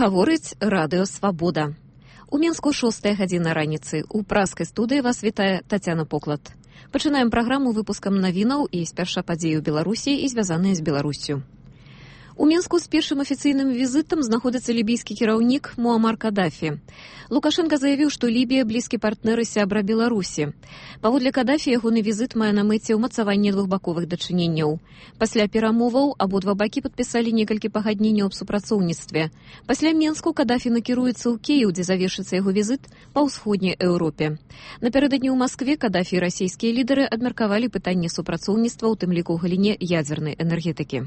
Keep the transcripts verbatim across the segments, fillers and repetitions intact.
Гаворыць радыё «Свабода». У Мінску шостая гадзіна раніцы. У праскай студыі вас вітае Тацяна Поклад. Пачынаем праграму выпускам навінаў і спярша падзеі ў Беларусі і звязаныя з Беларуссю. У Мінску з першым афіцыйным візітам знаходзіцца лібійскі кіраўнік Муамар Кадафі. Лукашенка заявіў, што Лібія блізкі партнер і сябра Беларусі. Паводле Кадафі, ягоны візіт мае на мэце ўмацаванне двухбаковых дачыненняў. Пасля перамоваў абодва бакі падпісалі некалькі пагадненняў аб супрацоўніцтве. Пасля Мінску Кадафі накіруецца ў Кіеў, дзе завершыцца яго візіт па ўсходняй Еўропе. Напярэдадні ў Маскве Кадафі і расійскія лідары абмеркавалі пытанне супрацоўніцтва, у тым ліку ў галіне ядзернай энергетыкі.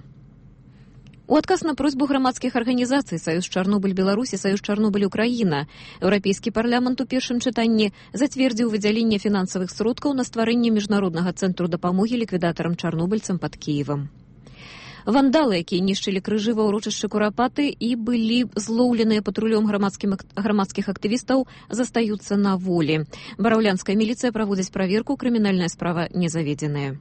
У адказ на просьбу грамадскіх арганізацый Саюз Чарнобыль Беларусь і Саюз Чарнобыль Украіна Еўрапейскі парламент у першым чытанні зацвердзіў выдзяленне фінансавых сродкаў на стварэнне міжнароднага цэнтру дапамогі ліквідатарам чарнобыльцам пад Кіевам. Вандалы, якія нішчылі крыжы ва ўрочышчы Курапаты і былі злоўленыя патрулём грамадскіх актывістаў, застаюцца на волі. Бараўлянская міліцыя праводзіць праверку, крымінальная справа не заведзеная.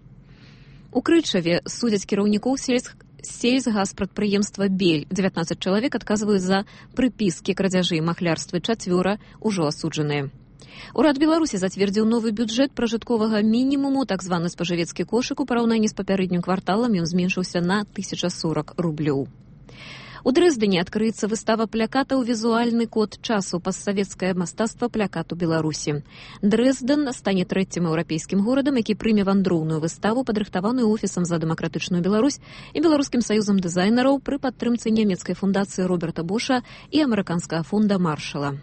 У Крычаве судзяць кіраўнікоў сельскіх сельсгазпрадпрыемства «Бель». дзевятнаццаць чалавек адказваюць за прыпіскі, крадзяжы і махлярствы, чацвёра ўжо асуджаныя. Урад Беларусі зацвердзіў новы бюджэт пражытковага мінімуму, так званы спажывецкі кошык. У параўнанні з папярэднім кварталам ён зменшыўся на тысяча сорок рублёў. У Дрэздане адкрыецца выстава плакатаў «Візуальны код часу. Постсавецкае мастацтва плакату Беларусі». Дрэзден стане трэцім еўрапейскім горадам, які прыме вандроўную выставу, падрыхтаваную офісам за дэмакратычную Беларусь і беларускім саюзам дызайнераў пры падтрымцы нямецкай фундацыі Роберта Боша і амерыканскага фонда Маршала.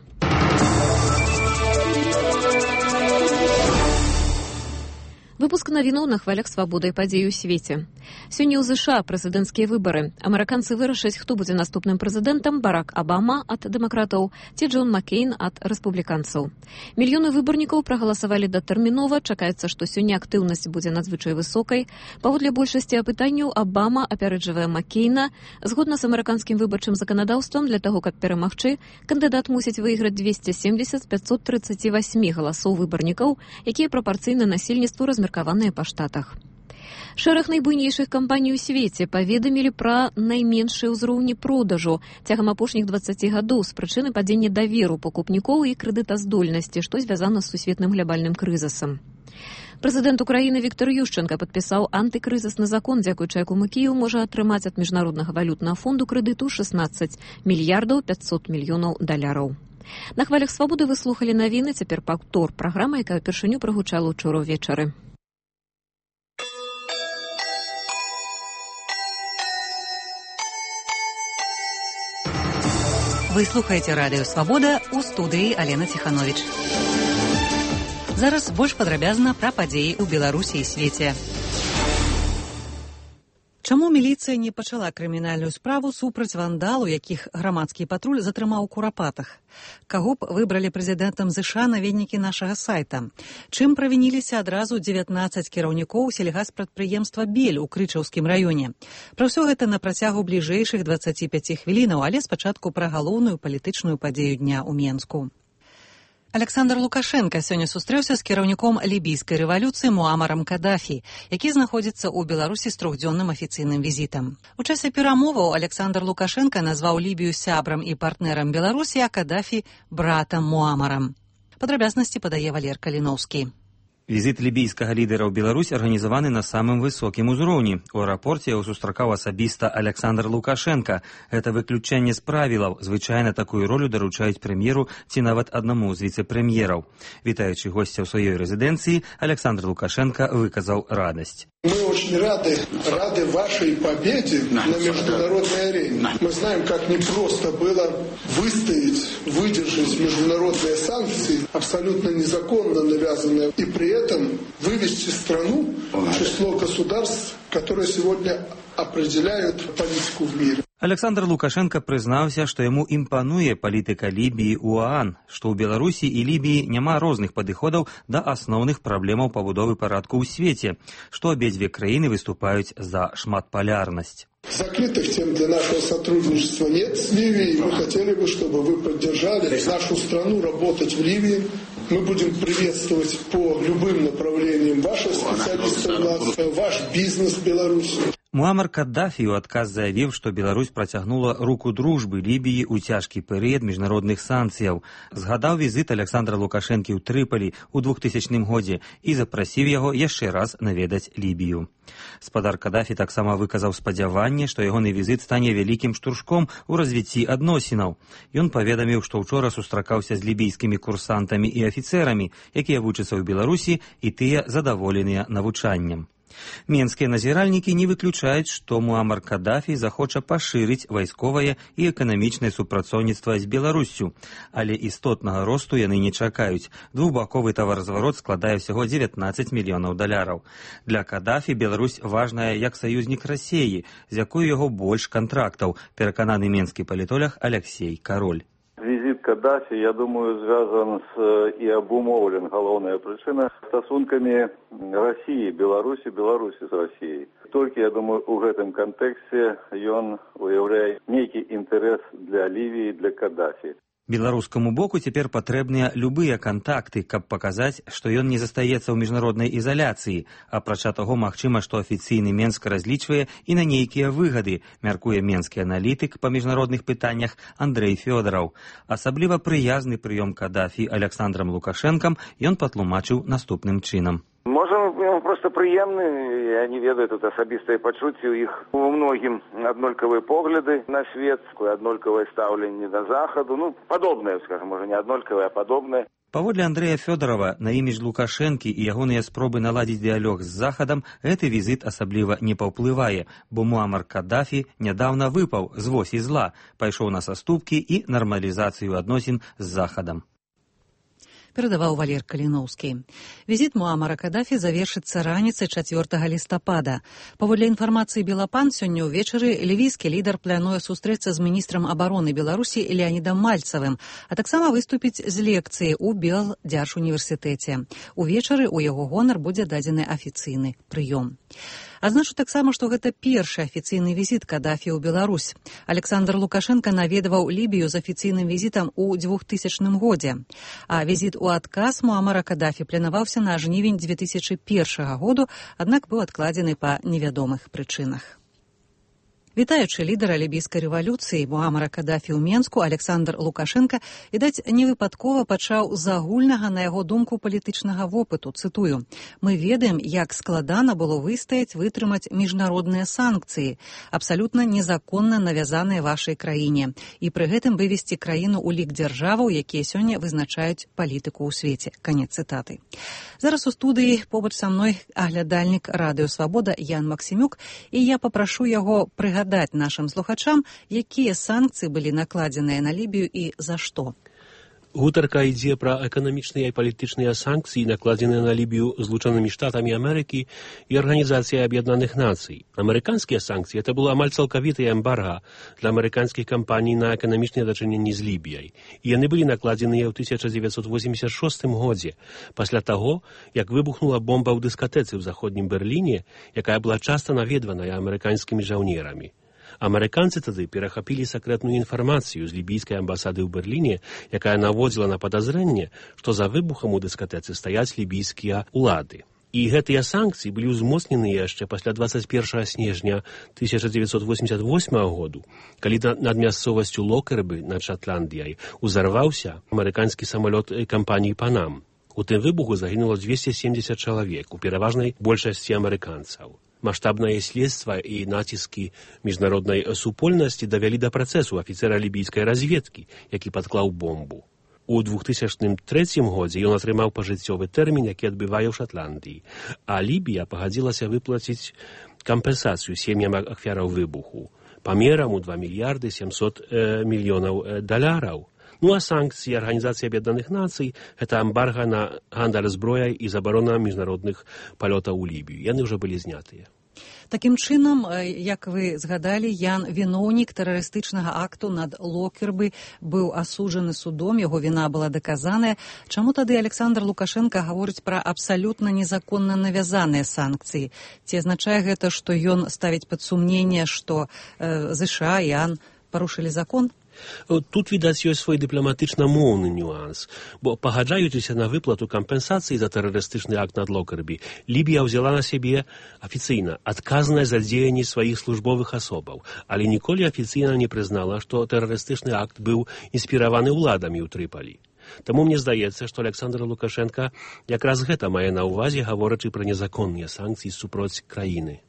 Выпуск навінаў на хвалях свабоды і падзеі ў свеце. Сёння ў ЗША прэзідэнцкія выбары. Амерыканцы вырашаць, хто будзе наступным прэзідэнтам: Барак Абама ад дэмакратаў ці Джон Маккейн ад рэспубліканцаў. Мільёны выбарнікаў прагаласавалі датэрмінова. Чакаецца, што сёння актыўнасць будзе надзвычай высокай. Паводле большасці апытанняў Абама апярэджвае Маккейна. Згодна з амерыканскім выбарчым заканадаўствам, для таго, каб перамагчы, кандыдат мусіць выйграць дзвесце семдзесят з пятьсот тридцать восемь галасоў выбарнікаў, якія прапарцыйна насельніцтву размеркаваныя па штатах. Шэраг найбуйнейшых кампаній у свеце паведамілі пра найменшыя ўзроўні продажу цягам апошніх дваццаці гадоў з прычыны падзення даверу пакупнікоў і крэдытаздольнасці, што звязана з сусветным глябальным крызісам. Прэзідэнт Украіны Віктор Ющэнка падпісаў антыкрызісны закон, дзякуючы якому Кіеў можа атрымаць ад міжнароднага валютнага фонду крэдыту шэсцнаццаць мільярдаў пятьсот мільёнаў даляраў. На хвалях свабоды вы слухалі навіны, цяпер паўтор праграма, якая ўпершыню прагучала ўчора ўвечары. Вы слухаеце радыё «Свабода», у студыі Алена Ціхановіч. Зараз больш падрабязна пра падзеі ў Беларусі і свеце. Чаму міліцыя не пачала крымінальную справу супраць вандалу, якіх грамадскі патруль затрымаў у Курапатах? Каго б выбралі прэзідэнтам ЗША, наведнікі нашага сайта? Чым правініліся адразу дзевятнаццаць кіраўнікоў сельгазпрадпрыемства «Бель» у Крычаўскім раёне? Пра ўсё гэта на працягу бліжэйшых дваццаці пяці хвілінаў, але спачатку пра галоўную палітычную падзею дня ў Мінску. Александр Лукашенка сёння сустрэўся з кіраўніком лібійскай рэвалюцыі Муамарам Кадафі, які знаходзіцца ў Беларусі з трохдзённым афіцыйным візітам. У часе перамоваў Александр Лукашенка назваў Лібію сябрам і партнерам Беларусі, а Кадафі братам Муамарам. Падрабязнасці падае Валер Каліноўскі. Візіт лібійскага лідара ў Беларусь арганізаваны на самым высокім узроўні. У аэрапорце яго сустракаў асабіста Александр Лукашенка. Гэта выключэнне з правілаў. Звычайна такую ролю даручаюць прэм'еру ці нават аднаму з віцэ-прэм'ераў. Вітаючы госця ў сваёй рэзідэнцыі, Александр Лукашенко выказаў радасць. Мы очень рады, рады вашей победе на международной арене. Мы знаем, как непросто было выстоять, выдержать международные санкции, абсолютно незаконно навязанные, и при этом вывести страну в число государств, которые сегодня определяют политику в мире. Александр Лукашенко прызнаўся, што яму імпануе палітыка Лібіі ў ОАН, што ў Беларусі і Лібіі няма розных падыходаў да асноўных праблемаў пабудовы парадку ў свеце, што абедзве краіны выступаюць за шматполярнасць. Закрытых тем для нашего сотрудничества нет с Ливией. Мы хотели бы, чтобы вы поддержали нашу страну работать в Ливии. Мы будем приветствовать по любым направлениям ваших специалистов, ваш бизнес в Беларуси. Муамар Каддафі ў адказ заявіў, што Беларусь працягнула руку дружбы Лібіі ў цяжкі перыяд міжнародных санкцыяў. Згадаў візіт Александра Лукашэнкі ў Трыполі ў двухтысячным годзе і запрасіў яго яшчэ раз наведаць Лібію. Спадар Каддафі таксама выказаў спадзяванне, што ягоны візіт стане вялікім штуршком у развіцці адносінаў. Ён паведаміў, што ўчора сустракаўся з лібійскімі курсантамі і афіцэрамі, якія вучацца ў Беларусі, і тыя задаволеныя навучаннем. Менскія назіральнікі не выключаюць, што Муамар Каддафі захоча пашырыць вайсковае і эканамічнае супрацоўніцтва з Беларуссю, але істотнага росту яны не чакаюць. Двухбаковы таваразварот складае ўсяго дзевятнаццаць мільёнаў даляраў. Для Каддафі Беларусь важная як саюзнік Расеі, з якой яго больш кантрактаў, перакананы менскі палітолог Алексей Король. Визит Каддафи, я думаю, связан с и обумовлен, главная причина, стосунками России, Беларуси, Беларуси с Россией. Только, я думаю, в этом контексте он уявляет некий интерес для Ливии, для Каддафи. Беларускаму боку цяпер патрэбныя любыя кантакты, каб паказаць, што ён не застаецца ў міжнароднай ізаляцыі. Апрача таго, магчыма, што афіцыйны Менск разлічвае і на нейкія выгады, мяркуе менскі аналітык па міжнародных пытаннях Андрэй Фёдораў. Асабліва прыязны прыём Каддафі Александрам Лукашэнкам ён патлумачыў наступным чынам. Можа, просто прыемны, я не ведаю, тут асабістыя пачуцці, у іх у многім аднолькавыя погляды на свет, аднолькавае стаўленне да захаду, ну, падобнае, скажем, можа, не аднолькавае, а падобнае. Паводле Андрэя Фёдорава, на імідж Лукашэнкі і ягоныя спробы наладзіць дыялог з Захадам, гэты візіт асабліва не паўплывае, бо Муамар Каддафі нядаўна выпаў з восі зла, пайшоў на саступкі і нармалізацыю адносін з Захадам. Перадаваў Валер Каліноўскі. Візіт Муамара Каддафі завершыцца раніцай чацвёртага лістапада. Паводле інфармацыі Белапан, сёння ўвечары лівійскі лідар плануе сустрэцца з міністрам абароны Беларусі Леанідам Мальцавым, а таксама выступіць з лекцыяй у Белдзяржуніверсітэце. Увечары ў яго гонар будзе дадзены афіцыйны прыём. Адзначу таксама, што гэта першы афіцыйны візіт Каддафі ў Беларусь. Александр Лукашенко наведваў Лібію з афіцыйным візітам у двухтысячным годзе. А візіт у адказ Муамара Каддафі планаваўся на жнівень дзве тысячы першага году, аднак быў адкладзены па невядомых прычынах. Вітаючы лідара лібійскай рэвалюцыі Муамара Каддафі ў Менску, Александр Лукашенко, відаць, невыпадкова пачаў з агульнага, на яго думку, палітычнага вопыту. Цытую: «Мы ведаем, як складана было выстаяць, вытрымаць міжнародныя санкцыі, абсалютна незаконна навязаныя вашай краіне, і пры гэтым вывесці краіну ў лік дзяржаваў, якія сёння вызначаюць палітыку ў свеце». Канец цытаты. Зараз у студыі побач са мной аглядальнік Радыё Свабода Ян Максімюк, і я папрашу яго прыгадаць даць нашым слухачам, якія санкцыі былі накладзеныя на Лібію і за што. Гутарка ідзе пра эканамічныя і палітычныя санкцыі, накладзеныя на Лібію Злучанымі Штатамі Амерыкі і Арганізацыяй Аб'яднаных Нацый. Амерыканскія санкцыі — это было амаль цалкавітае эмбарга для амерыканскіх кампаній на эканамічныя дачыненні з Лібіяй. І яны былі накладзеныя ў тысяча дзевяцьсот восемьдесят шостым годзе, пасля таго, як выбухнула бомба ў дыскатэцы ў заходнім Берліне, якая была часта наведваная амерыканскімі жаўнерамі. Амерыканцы тады перахапілі сакрэтную інфармацыю з лібійскай амбасады ў Берліне, якая наводзіла на падазрэнне, што за выбухам у дыскатэцы стаяць лібійскія ўлады. І гэтыя санкцыі былі ўзмоцнены яшчэ пасля двадцать первого снежня тысяча девятьсот восемьдесят восьмого году, калі над мясцовасцю Локербы над Шатландыяй узарваўся амерыканскі самалёт кампаніі Панам. У тым выбуху загінула двести семьдесят чалавек, у пераважнай большасці амерыканцаў. Маштабнае следства і націскі міжнароднай супольнасці давялі да працэсу афіцера лібійскай разведкі, які падклаў бомбу. У двухтысячным трэцім годзе ён атрымаў пажыццёвы тэрмін, які адбывае ў Шатландыі, а Лібія пагадзілася выплаціць кампенсацыю сем'ям ахвяраў выбуху памерам у два мільярды сямсот мільёнаў даляраў. Ну а санкцыі Арганізацыі Аб'яднаных Нацый — гэта эмбарга на гандаль зброяй і забарона міжнародных палётаў у Лібію. Яны ўжо былі знятыя. Такім чынам, як вы згадалі, Ян, віноўнік тэрарыстычнага акту над Локербы быў асуджаны судом, яго віна была даказаная. Чаму тады Александр Лукашенко гаворыць пра абсалютна незаконна навязаныя санкцыі? Ці азначае гэта, што ён ставіць пад сумненне, што э, ЗША і АН парушылі закон? Тут, відаць, ёсць свой дыпламатычна-моўны нюанс, бо, пагаджаючыся на выплату кампенсацыі за тэрарыстычны акт над Локербі, Лібія ўзяла на сябе афіцыйна адказнасць за дзеянні сваіх службовых асобаў, але ніколі афіцыйна не прызнала, што тэрарыстычны акт быў інспіраваны ўладамі ў Трыпалі. Таму мне здаецца, што Александр Лукашенка якраз гэта мае на ўвазе, гаворачы пра незаконныя санкцыі супроць краіны.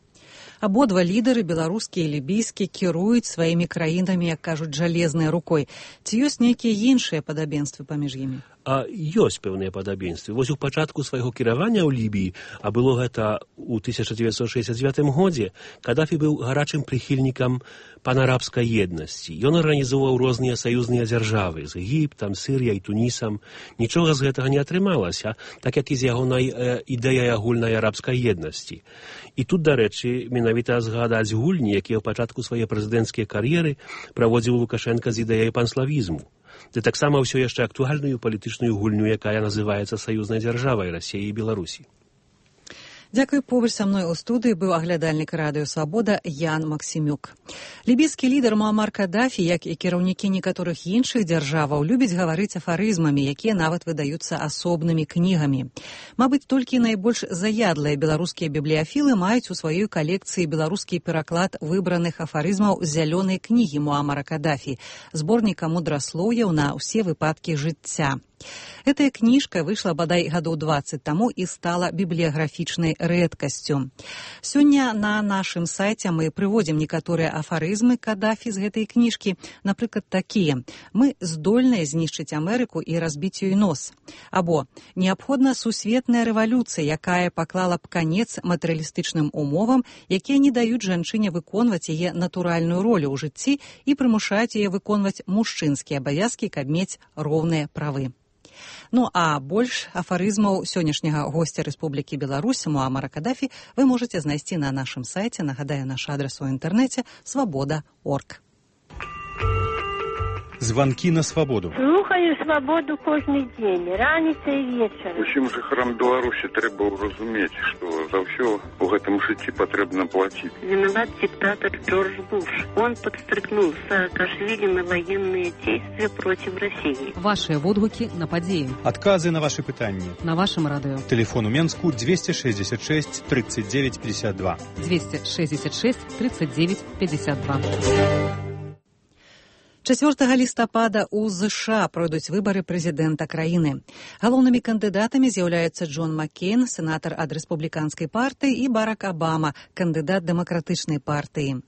Абодва лідары, беларускі і лібійскі, кіруюць сваімі краінамі, як кажуць, жалезнай рукой. Ці ёсць нейкія іншыя падабенствы паміж імі? А ёсць пэўныя падабенствы. Вось у пачатку свайго кіравання ў Лібіі, а было гэта ў тысяча дзевяцьсот шэсцьдзясят дзевятым годзе, Кадафі быў гарачым прыхільнікам панарабскай еднасці. Ён арганізоўваў розныя саюзныя дзяржавы з Егіптам, Сірыяй, Тунісам. Нічога з гэтага не атрымалася, так як і з ягонай э, ідэяй агульнай арабскай еднасці. І тут, дарэчы, менавіта згадаць гульні, якія ў пачатку свае прэзідэнцкія кар'еры праводзіў Лукашенка з ідэяй панславізму. Ды таксама ўсё яшчэ актуальную палітычную гульню, якая называецца саюзнай дзяржавай Расіі і Беларусі. Дзякуй, побач са мной у студыі быў аглядальнік радыё «Свабода» Ян Максімюк. Лібійскі лідар Муамар Кадафі, як і кіраўнікі некаторых іншых дзяржаваў, любіць гаварыць афарызмамі, якія нават выдаюцца асобнымі кнігамі. Мабыць, толькі найбольш заядлыя беларускія бібліяфілы маюць у сваёй калекцыі беларускі пераклад выбраных афарызмаў з зялёнай кнігі Муамара Кадафі, зборніка мудраслоўяў на ўсе выпадкі жыцця. Гэтая кніжка выйшла бадай гадоў дваццаць таму і стала бібліяграфічнай рэдкасцю. Сёння на нашым сайце мы прыводзім некаторыя афарызмы Кадафі з гэтай кніжкі, напрыклад, такія: «Мы здольныя знішчыць Амерыку і разбіць ёй нос». Або «Неабходна сусветная рэвалюцыя, якая паклала б канец матэрыялістычным умовам, якія не даюць жанчыне выконваць яе натуральную ролю ў жыцці і прымушаюць яе выконваць мужчынскія абавязкі, каб мець роўныя правы». Ну а больш афарызмаў сённяшняга госця Рэспублікі Беларусь Муамара Кадафі вы можаце знайсці на нашым сайце. Нагадаю, наш адрес у інтэрнэце свабода точка орг. Звонки на свободу. Слухаю свободу кожны дзень, раніца і вечар. Усім жыхарам Беларусі трэба разумець, што за ўсё у гэтым жыцці патрэбна плаціць. Виноват диктатор Джордж Буш. Он подстрекнул Саакашвили на военные действия против России. Ваши водгуки на подеи. Отказы на ваши пытанні. На вашем радио. Телефон у Менску двести шестьдесят шесть тридцать девять пятьдесят два. двести шестьдесят шесть тридцать девять пятьдесят два. чацвёртага лістапада ў ЗША пройдуць выбары прэзідэнта краіны. Галоўнымі кандыдатамі з'яўляюцца Джон Маккейн, сенатар ад рэспубліканскай партыі, і Барак Абама, кандыдат дэмакратычнай партыі.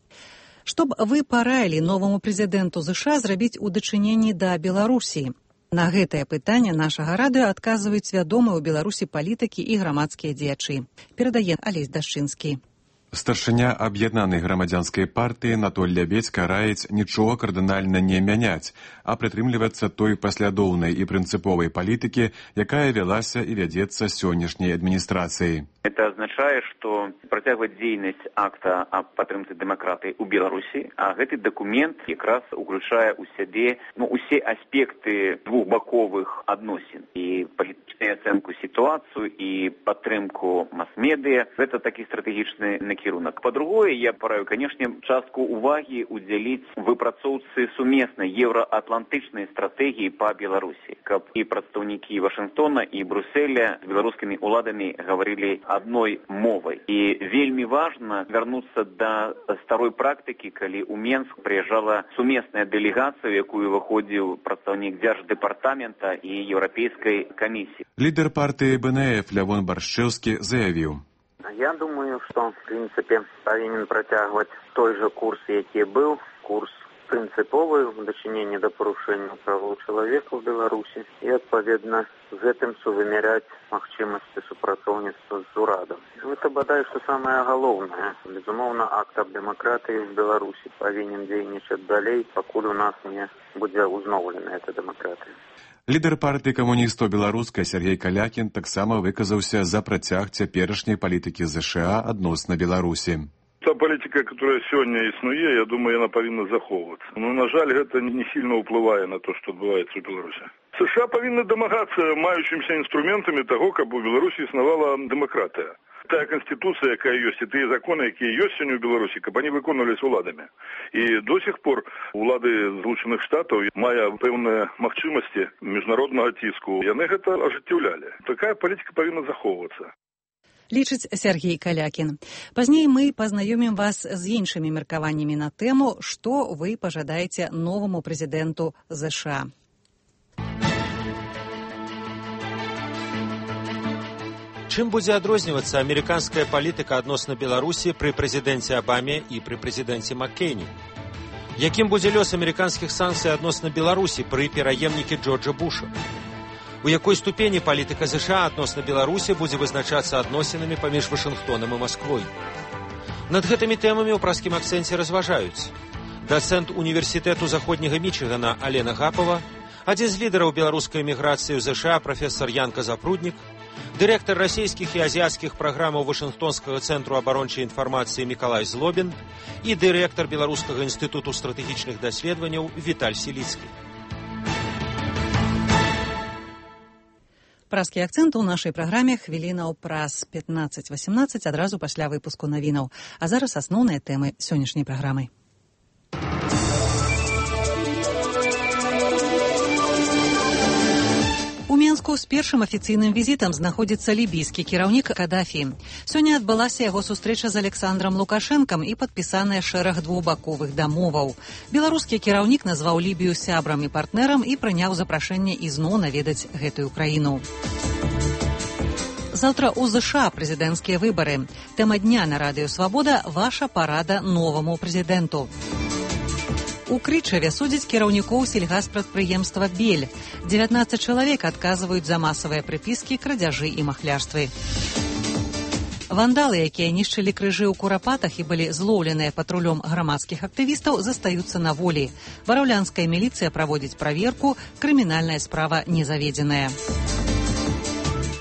Што б вы параілі новаму прэзідэнту ЗША зрабіць у дачыненні да Беларусі? На гэтае пытанне нашага радыё адказваюць вядомыя ў Беларусі палітыкі і грамадскія дзеячы. Перадае Алесь Дашчынскі. Старшыня аб'яднанай грамадзянскай партыі Анатоль Лябедзька раіць нічога кардынальна не мяняць, а прытрымлівацца той паслядоўнай і прынцыповай палітыкі, якая вялася і вядзецца сённяшняй адміністрацыяй. Это означает, что протягивать деятельность акта о поддержке демократии у Беларуси, а этот документ как раз уключая у себе ну, все аспекты двухбоковых отношений. И политическую оценку ситуацию, и поддержку масс-медиа. Это такой стратегичный накерунок. По-другому, я пораю, конечно, частку уваги уделить выпрацоўцы суместной евроатлантичной стратегии по Беларуси. Как и представники Вашингтона, и Брюсселя с белорусскими уладами говорили одной мовой. И вельми важно вернуться до старой практики, когда у Менск приезжала суместная делегация, якую выходил представник Держдепартамента и Европейской комиссии. Лидер партии БНФ Лявон Баршчэўскі заявил. Я думаю, что, в принципе, повинен протягивать той же курс, який был, курс принциповый в дачыненні да парушэння правоў чалавека ў Беларусі і, адпаведна, з гэтым сувымяряць магчымасці супрацоўніцтва з урадам. Гэта бадай, што самае галоўнае. Безумоўна, акт аб дэмакратыі в Беларусі павінен дзейнічаць далей, пакуль у нас не будзе ўзноўлена эта дэмакратыя. Лідар партыі камуністаў беларускай Сергей Калякін таксама выказаўся за працяг цяперашняй палітыкі ЗША адносна Беларусі. Та палітика, которая сегодня існуе, я думаю, она повинна заховываться. Но, на жаль, это не сильно уплывает на то, что отбывается в Беларуси. США павінны дамагацца маючымся інструментамі таго, каб у Беларусі існавала дэмакратыя. Тая конституция, якая ёсць, і тыя законы, якія ёсць сёння ў Беларусі, каб они выконвались уладамі. І до сих пор улады Злучаных Штатаў, мая пэўныя магчымасці міжнароднага ціску, яны гэта ажыццяўлялі. Такая палітыка павінна захоўвацца. Лічыць Сергей Калякін. Пазней мы пазнаёмім вас з іншымі меркаваннямі на тэму, што вы пажадаеце новаму прэзідэнту ЗША. Чым будзе адрознівацца амерыканская палітыка адносна Беларусі пры прэзідэнце Абаме і пры прэзідэнце Маккейні? Якім будзе лёс амерыканскіх санкцый адносна Беларусі пры пераемнікі Джорджа Буша? У якой ступені палітыка ЗША адносна Беларусі будзе вызначацца адносінамі паміж Вашынгтонам і Масквой? Над гэтымі тэмамі ў праскім акцэнце разважаюць дацэнт універсітэту заходняга Мічыгана Алена Гапова, адзін з лідараў беларускай эміграцыі ў ЗША прафесар Янка Запруднік, дырэктар расійскіх і азіяцкіх праграмаў Вашынгтонскага цэнтру абарончай інфармацыі Мікалай Злобін і дырэктар Беларускага інстытуту стратэгічных даследаванняў Віталь Сіліцкі. Праскі акцэнт у нашай праграме хвілінаў праз пятнаццаць васемнаццаць адразу пасля выпуску навінаў. А зараз асноўныя тэмы сённяшняй праграмы. У Менску з першым афіцыйным візітам знаходзіцца лібійскі кіраўнік Кадафі. Сёння адбылася яго сустрэча з Александром Лукашэнкам і падпісаная шэраг двухбаковых дамоваў. Беларускі кіраўнік назваў Лібію сябрам і партнерам і прыняў запрашэнне ізноў наведаць гэтую краіну. Заўтра ў ЗША прэзідэнцкія выбары. Тэма дня на радыё «Свабода» – ваша парада новаму прэзідэнту. У Крычаве судзяць кіраўнікоў сельгаспрадпрыемства «Бель». дзевятнаццаць чалавек адказваюць за масавыя прыпіскі, крадзяжы і махлярствы. Вандалы, якія нішчылі крыжы ў Курапатах і былі злоўленыя патрулём грамадскіх актывістаў, застаюцца на волі. Бараўлянская міліцыя праводзіць праверку, крымінальная справа не заведзеная.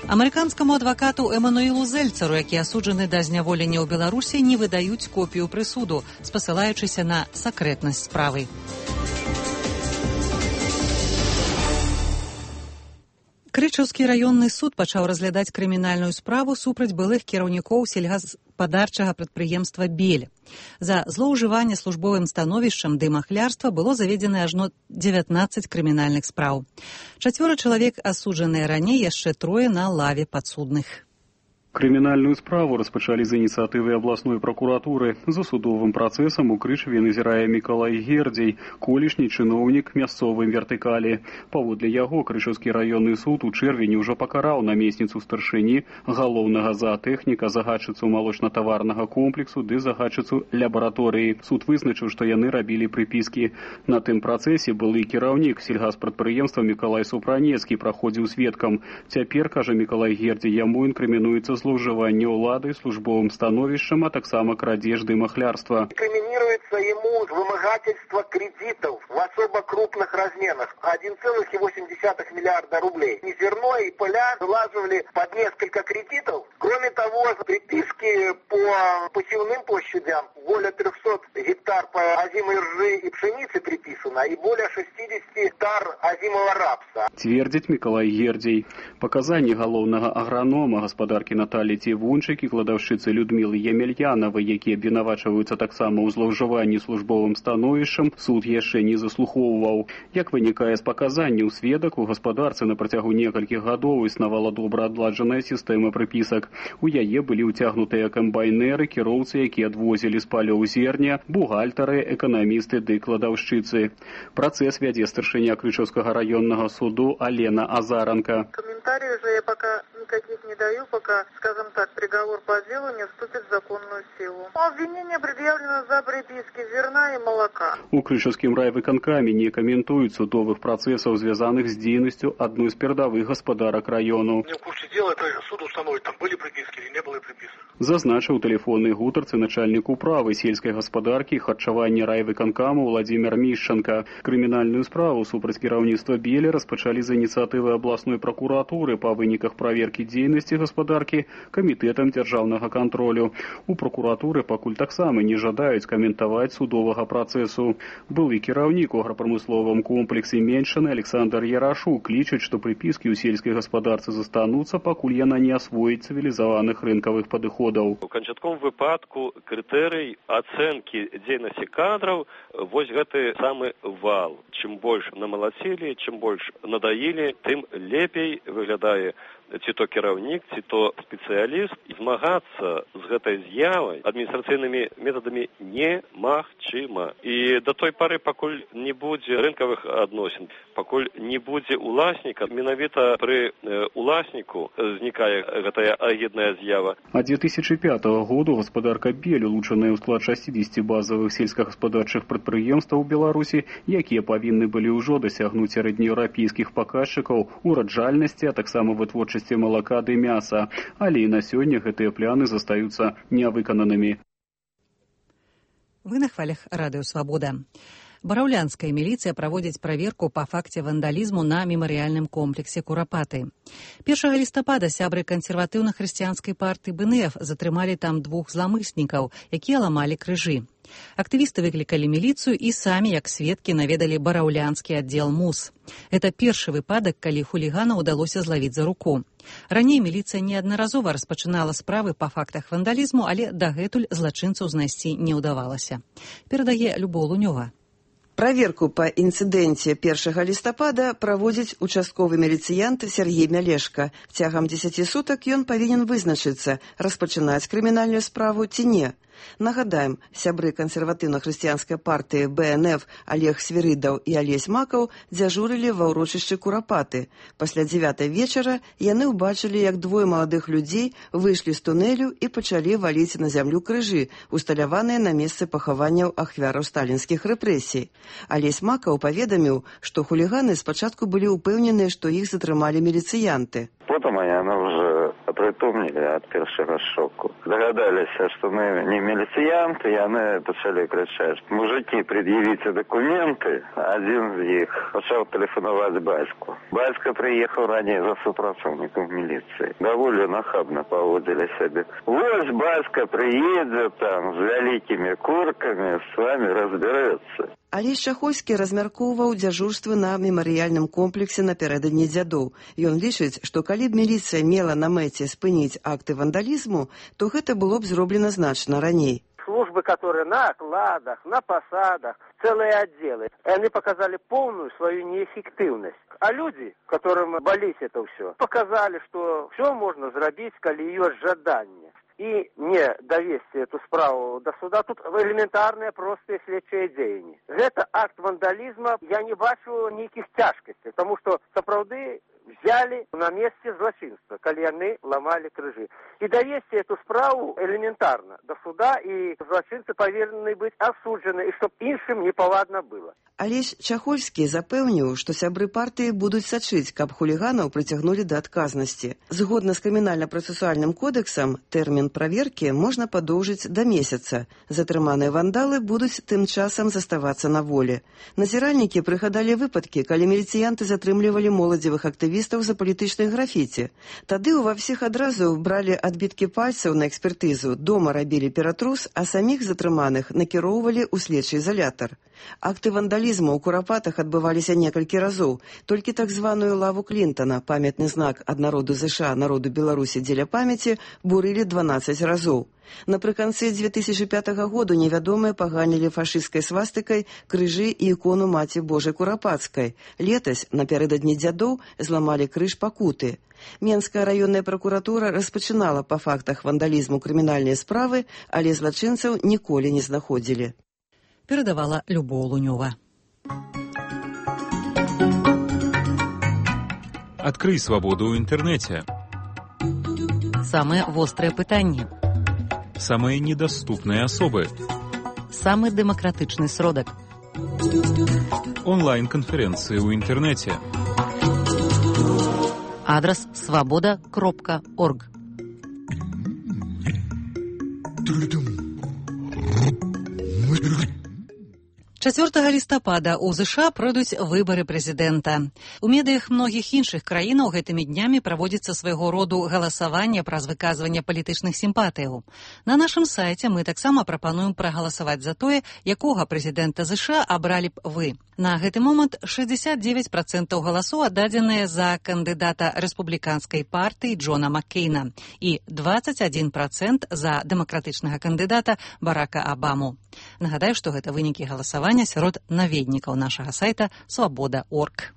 Амерыканскаму адвакату Эмануэлу Зельцару, які асуджаны да зняволення ў Беларусі, не выдаюць копію прысуду, спасылаючыся на сакрэтнасць справы. Крычаўскі раённы суд пачаў разглядаць крымінальную справу супраць былых кіраўнікоў сельгаспадарчага прадпрыемства «Бель». За злоўжыванне службовым становішчам ды махлярства было заведзена ажно дзевятнаццаць крымінальных спраў. Чацвёра чалавек асуджаныя раней, яшчэ трое на лаве падсудных. Крымінальную справу распачалі з ініцыятывы абласной пракуратуры. За судовым працэсам у Крычаве назірае Мікалай Гердзей, колішні чыноўнік мясцовай вертыкалі. Паводле яго Крычаўскі раённы суд у чэрвені ўжо пакараў намесніцу старшыні, галоўнага заатэхніка, загадчыцу малочна-таварнага комплексу ды загадчыцу лабараторыі. Суд вызначыў, што яны рабілі прыпіскі. На тым працэсе былы кіраўнік сельгаспрадпрыемства Мікалай Супранецкі праходзіў сведкам. Цяпер, кажа Мікалай Гердзей, яму інкрымінуецца злоўжыванне ўлады службовым становішчам, а таксама крадзеж ды махлярства. Инкриминируется ему вымогательство кредитов в особо крупных размерах. один целых восемь десятых миллиарда рублей. И зерно, и поля вылаживали под несколько кредитов. Кроме того, приписки по посевным площадям более трехсот гектар по озимой ржи и пшеницы приписано, и более шестьдесят гектар озимого рапса. Цвердзіць Мікалай Гердзей. Паказанні галоўнага агранома гаспадаркі Наталі Цівунчык і кладаўшчыцы Людмілы Емельянавай, якія абвінавачваюцца таксама ў злоўжыванні службовым становішчам, суд яшчэ не заслухоўваў. Як вынікае з паказанняў сведак, у гаспадарцы на працягу некалькіх гадоў існавала добра адладжаная сістэма прыпісак. У яе былі ўцягнутыя камбайнеры, кіроўцы, якія адвозілі з палёў зерня, бухгалтары, эканамісты ды кладаўшчыцы. Працэс вядзе старшыня Крычаўскага раённага суду Алена Азаранка. Комментариев же я пока никаких не даю, пока, скажем так, приговор по делу не вступит в законную силу. Обвинение предъявлено за приписки зерна и молока. У Крычаўскім райвыканкаме не каментуюць судовых працэсаў, звязаных з дзейнасцю адной з перадавых гаспадарак раёну. Не в курсе дела, это суд установит, там были приписки или не было приписок. Зазначыў тэлефоннай гутарцы начальнік управы сельскай гаспадаркі і харчавання райвыканкаму Владзімир Мішчанка. Крымінальную справу супраць кіраўніцтва «Беля» распачалі з ініцыятывы абласной пракуратуры па выніках праверкі ацэнкі дзейнасці гаспадаркі камітэтам дзяржаўнага кантролю. У прокуратуры пакуль таксама не жадаюць каментаваць судовага працэсу. Былы кіраўнік у аграпрамысловым комплексе Меньшины Александр Ярашук лічыць, што прыпіскі ў сельскай гаспадарцы застануцца, пакуль яна не асвоіць цывілізаваных рынкавых падыходаў. У канчатковым выпадку крытэрый ацэнкі дзейнасці кадраў вось гэты самы вал. Чым больш намалацілі, чым больш надаілі, тым лепей выглядае ці то кіраўнік, ці то спецыяліст. Змагацца з гэтай з'явай адміністрацыйнымі метадамі немагчыма. І да той пары, пакуль не будзе рынкавых адносін, пакуль не будзе уласніка, менавіта пры уласніку знікае гэтая агідная з'ява. А две тысячи пятого году гаспадарка Бель, улучшаная ў склад шестидесяти базовых сельскагаспадарчых прадпрыемстваў Беларусі, якія павінны былі ўжо дасягнуць сярэднееўрапейскіх паказчыкаў ураджальнасці, а таксама вытворчасці молока ды мяса, але і на сёння гэтыя пляны застаюцца нявыкананымі. Вы на хвалях радыё «Свабода». Бараўлянская міліцыя праводзіць праверку па факце вандалізму на мемарыяльным комплексе Курапаты. першага лістапада сябры кансерватыўна-хрысціянскай партыі бэ эн эф затрымалі там двух зламыснікаў, якія ламалі крыжы. Актывісты выклікалі міліцыю і самі, як сведкі, наведалі бараўлянскі аддзел МУС. Это першы выпадак, калі хулігана ўдалося злавіць за руку. Раней міліцыя неаднаразова распачынала справы па фактах вандалізму, але дагэтуль злачынцаў знайсці не ўдавалася. Перадае Любоў Лунёва. Праверку па інцыдэнце першага лістапада праводзіць участковы міліцыянт Сергей Мялешка. Цягам дзесяці сутак ён павінен вызначыцца, распачынаць крымінальную справу ці не. Нагадаем, сябры кансерватыўна-хрысціянскай партыі бэ эн эф Олег Свірыдаў і Алесь Макаў дзяжурылі ва ўрочышчы Курапаты. Пасля дзевятай вечара яны ўбачылі, як двое маладых людзей выйшлі з тунэлю і пачалі валіць на зямлю крыжы, усталяваныя на месцы пахаванняў ахвяраў сталінскіх рэпрэсій. Алесь Макаў паведаміў, што хуліганы спачатку былі ўпэўненыя, што іх затрымалі міліцыянты. Потом яны уже апрытомнілі ад першага шоку. Дагадаліся, што мы не міліцыянты, яны пачалі крычаць: «Мужики, пред'явіце документы». Адзін з іх пачаў тэлефанаваць бацьку. Бацька прыехаў раней за супрацоўнікам міліцыі. Даволі нахабна паводзілі сябе. Вось бацька прыедзе там з вялікімі куркамі, з вамі разбярэцца. Алесь Чахольскі размяркоўваў дзяжурствы на мемарыяльным комплексе напярэдадні дзядоў. Ён лічыць, што калі б міліцыя мела на мэце спыніць акты вандалізму, то гэта было б зроблена значна раней. Службы, которые на окладах, на посадах, целые отделы, они показали полную свою неэффективность. А люди, которым болит это все, показали, что все можно зрабіць, калі ёсць жаданне. И не довести эту справу до суда, тут элементарные простые следчие дзеянні. Это акт вандализма, я не бачу никаких тяжкостей, потому что сапраўды взяли на месте злочинства, калі яны ломали крыжи. И довести эту справу элементарно до суда, и злочинцы повинны быть осуджены, и чтоб іншым непаладна было. Алесь Чахольскі запэўніў, што сябры партыі будуць сачыць, каб хуліганаў прыцягнулі да адказнасці. Згодна з крымінальна-працэсуальным кодэксам, тэрмін праверкі можна падоўжыць да месяца. Затрыманыя вандалы будуць тым часам заставацца на волі. Назіральнікі прыгадалі выпадкі, калі міліцыянты затрымлівалі моладзевых актывістаў за палітычнай графіці. Тады ўва ўсіх адразу бралі адбіткі пальцаў на экспертызу, дома рабілі ператрус, а саміх затрыманых накіроўвалі ў следчы изолятар. Акты вандалізму ў Курапатах адбываліся некалькі разоў. Толькі так званую лаву Клінтона, памятны знак ад народу ЗША народу Беларусі дзеля памяці, бурылі дванаццаць разоў. Напрыканцы две тысячи пятого году невядомыя паганілі фашысцкай свастыкай крыжы і ікону Маці Божай Курапацкай. Летась, напярэдадні дзядоў, зламалі крыж Пакуты. Менская раённая пракуратура распачынала па фактах вандалізму крымінальныя справы, але злачынцаў ніколі не знаходзілі. Перадавала Любоў Лунёва. Адкрый свабоду ў інтэрнэце. Самыя вострыя пытанні. Самыя недаступныя асобы. Самы дэмакратычны сродак. Онлайн-канферэнцыі ў інтэрнэце. Адрас свабода кропка орг. чацвёртага лістапада ў ЗША пройдуць выбары прэзідэнта. У медыях многіх іншых краінаў гэтымі днямі праводзіцца свайго роду галасаванне праз выказванне палітычных сімпатыяў. На нашым сайце мы таксама прапануем прагаласаваць за тое, якога прэзідэнта ЗША абралі б вы. На гэты момант шэсцьдзесят дзевяць працэнтаў галасоў аддадзеныя за кандыдата рэспубліканскай партыі Джона Маккейна і дваццаць адзін працэнт за дэмакратычнага кандыдата Барака Абаму. Нагадаю, што гэта вынікі галасавання сярод наведнікаў нашага сайта свабода точка орг.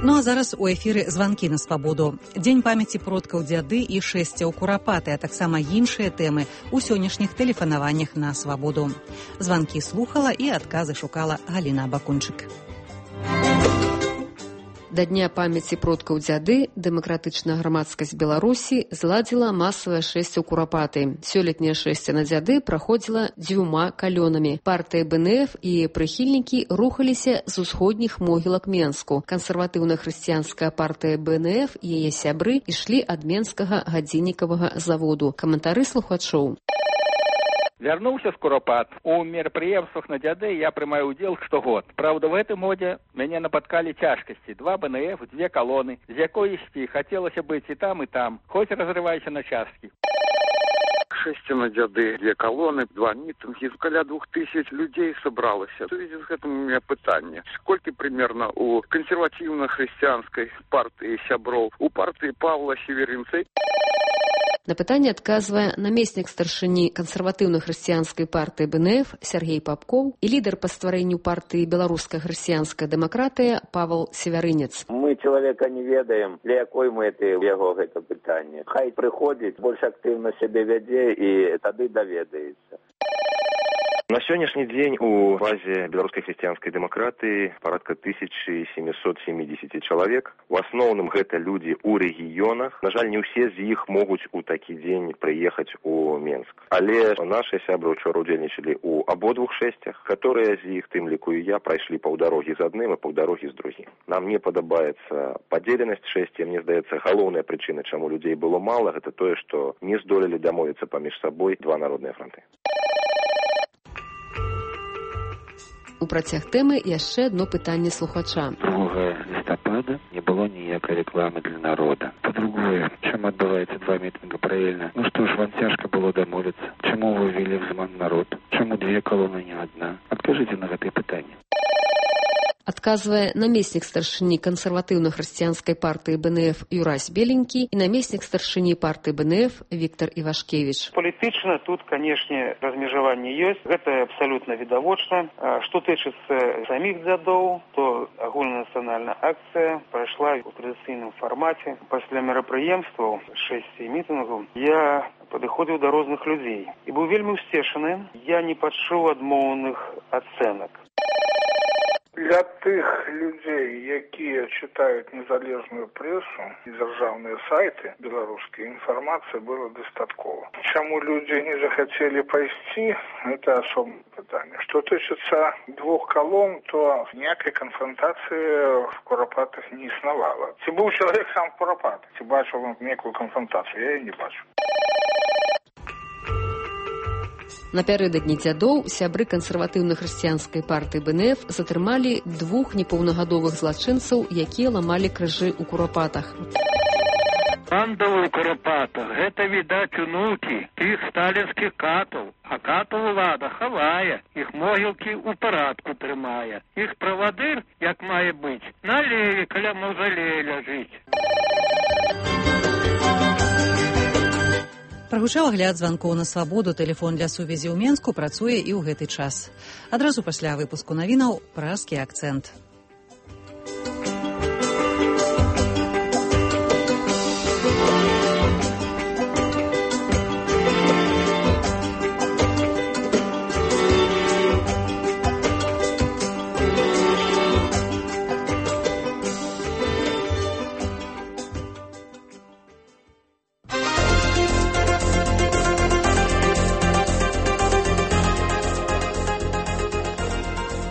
Ну а зараз у эфіры званкі на свабоду. Дзень памяці продкаў дзяды і шэсцяў курапаты, а таксама іншыя тэмы ў сённяшніх тэлефанаваннях на свабоду. Званкі слухала і адказы шукала Галіна Бакунчык. Да дня памяці продкаў дзяды дэмакратычная грамадскасць Беларусі зладзіла масавае шэсце ў курапаты. Сёлетняе шэсце на дзяды праходзіла дзвюма калёнамі. Партыя БНФ і прыхільнікі рухаліся з усходніх могілак Менску. Кансерватыўна-хрысціянская партыя БНФ і яе сябры ішлі ад менскага гадзіннікавага заводу. Каментары слухачоў. Вярнуўся з курапат. У мерапрыемствах на дзяды я прымаю ўдзел штогод. Праўда, в гэтым годзе мяне напаткалі цяжкасці. Два БНФ, дзве калоны, з якой ісці хацелася быць і там, і там. Хоць разрывайся на часткі. Шэсце на дзяды, две калоны, два мітынгі, каля двух тысяч людзей сабралася. В связи з гэтым у меня пытанне. Сколькі примерно у кансерватыўна-хрысціянскай партыі сяброў, у партыі Павла Северинца? На пытанне адказвае намеснік старшыні кансерватыўна-хрысціянскай партыі БНФ Сергей Папкоў і лідар па стварэнню партыі беларуская хрысціянская дэмакратыя Павел Севярынец. Мы чалавека не ведаем, для якой мэты ў яго гэта пытанне. Хай прыходзіць, больш актыўна сябе вядзе і тады даведаецца. На сённяшні дзень у базе беларускай хрысціянскай дэмакратыі парадка тысяча семьсот семьдесят чалавек. У асноўным гэта людзі ў рэгіёнах. На жаль, не ўсе з іх могуць у такі дзень прыехаць у Менск. Але нашы сябры учора удзельнічалі ў абодвух шэсцях, которые з іх, тым ліку і я, прайшлі паўдарогі з адным і паўдарогі з другім. Нам не падабаецца падзеленасць шэсця. Мне здаецца, галоўная прычына, чаму людзей было мала, гэта тое, што не здолелі дамовіцца паміж сабой два народныя фронты. У працяг тэмы яшчэ адно пытанне слухача. другога лістапада не было ніякай рэкламы для народа. Па-другое, чым адбываецца два мітынга паралельна? Ну што ж, вам цяжка было дамовіцца? Чаму вы ввели в зман народ? Чаму две калоны, не адна? Адкажыце на гэтае пытанне. Адказвае намеснік старшыні кансерватыўна-хрысціянскай партыі БНФ Юрась Беленькі і намеснік старшыні партыі БНФ Віктор Івашкевіч. Палітычна тут, канешне, размежаванне ёсць. Гэта абсалютна відавочна. Што тычыцца саміх дзядоў, то агульнанацыянальная акцыя прайшла у традыцыйным фармаце. Пасля мерапрыемстваў шэсці мітынгаў я падыходзіў да розных людзей і быў вельмі ўсцешаны. Я не пачуў адмоўных ацэнак. Для тых людзей, якія чытаюць незалежную прэсу і дзяржаўныя сайты беларускія, інфармацыі было дастаткова. Чаму людзі не захацелі пайсці, гэта асобнае пытанне. Што тычыцца двух калон, то ніякай канфронтацыі в курапатах не існавала. Ці быў чалавек сам в курапатах, ці бачыў некую канфронтацыю, я яе не бачу. Напярэдадні дзядоў сябры кансерватыўна-хрысціянскай партыі БНФ затрымалі двух непаўнагадовых злачынцаў, якія ламалі крыжы ў курапатах. Пандавы ў курапатах – гэта, відаць, унукі тых сталінскіх катаў. А катаў улада хавае, іх могілкі ў парадку трымае. Іх правадыр, як мае быць, на леве каля маўзалея ляжыць. Прагучаў агляд званкоў на свабоду. Тэлефон для сувязі ў Менску працуе і ў гэты час. Адразу пасля выпуску навінаў пражскі акцэнт.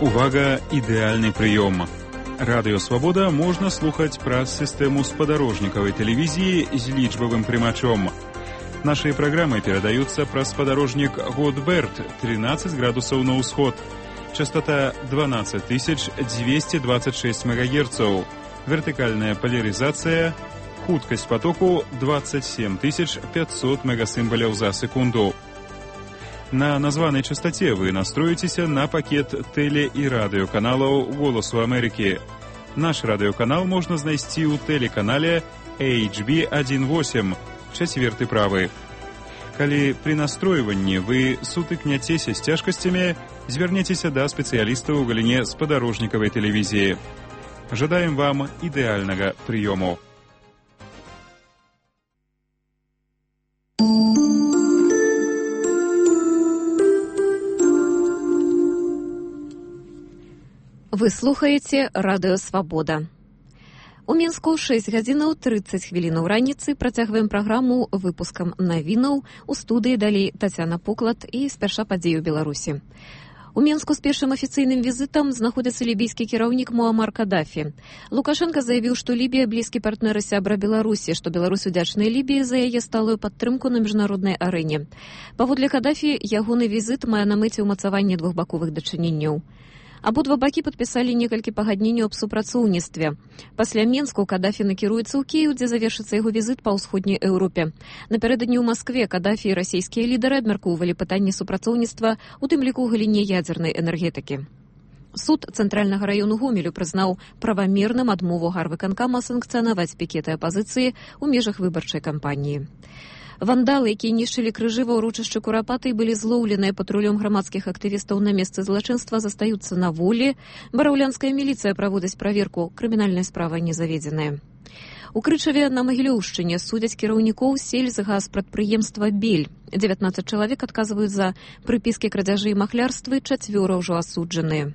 Увага, ідэальны прыём. Радыё Свабода можна слухаць праз сістэму спадарожнікавай тэлевізіі з лічбавым прымачом. Наши программы передаются праз спадарожник Годберт, тринадцать градусов на усход. Частота двенадцать тысяч двести двадцать шесть мегагерцов. Вертикальная поляризация. Хуткость потоку двадцать семь тысяч пятьсот мегасимволов за секунду. На названной частоте вы настроитесь на пакет теле- и радиоканалов «Голосу Америки». Наш радиоканал можно знайти у телеканале эйч би восемь, четвертый правый. Калі при настройванні вы сутыкняцеся з цяжкасцямі, звярніцеся да спецыяліста ў галіне спадарожнікавай тэлевізіі. Жадаем вам ідэальнага прыёму. Вы слухаеце радыё «Свабода». У Мінску шэсць гадзінаў трыццаць хвілінаў раніцы працягваем праграму выпускам навінаў. У студыі далей Тацяна Поклад і спярша падзеі ў Беларусі. У Мінску з першым афіцыйным візітам знаходзіцца лібійскі кіраўнік Муамар Кадафі. Лукашенко заявіў, што Лібія блізкі партнер і сябра Беларусі, што Беларусь удзячная Лібіі за яе сталую падтрымку на міжнароднай арэне. Паводле Кадафі, ягоны візіт мае на мэце ўмацаванне двухбаковых дачыненняў. Абодва бакі падпісалі некалькі пагадненняў аб супрацоўніцтве. Пасля Мінску Кадафі накіруецца ў Кіеў, дзе завершыцца яго візіт па ўсходняй Еўропе. Напярэдадні ў Маскве Кадафі і расійскія лідары абмяркоўвалі пытанні супрацоўніцтва, у тым ліку ў галіне ядзернай энергетыкі. Суд Цэнтральнага раёну Гомелю прызнаў правамерным адмову гарвыканкама санкцыянаваць пікеты апазіцыі ў межах выбарчай кампаніі. Вандалы, якія нішчылі крыжы ва ўрочышчы Курапаты, былі злоўленыя патрулём грамадскіх актывістаў на месцы злачынства, застаюцца на волі. Бараўлянская міліцыя праводзіць праверку, крымінальная справа не заведзеная. У Крычаве на Магілёўшчыне судзяць кіраўнікоў сельскагаспрадпрыемства «Бель». дзевятнаццаць чалавек адказваюць за прыпіскі крадзяжы і махлярствы, чацвёра ўжо асуджаныя.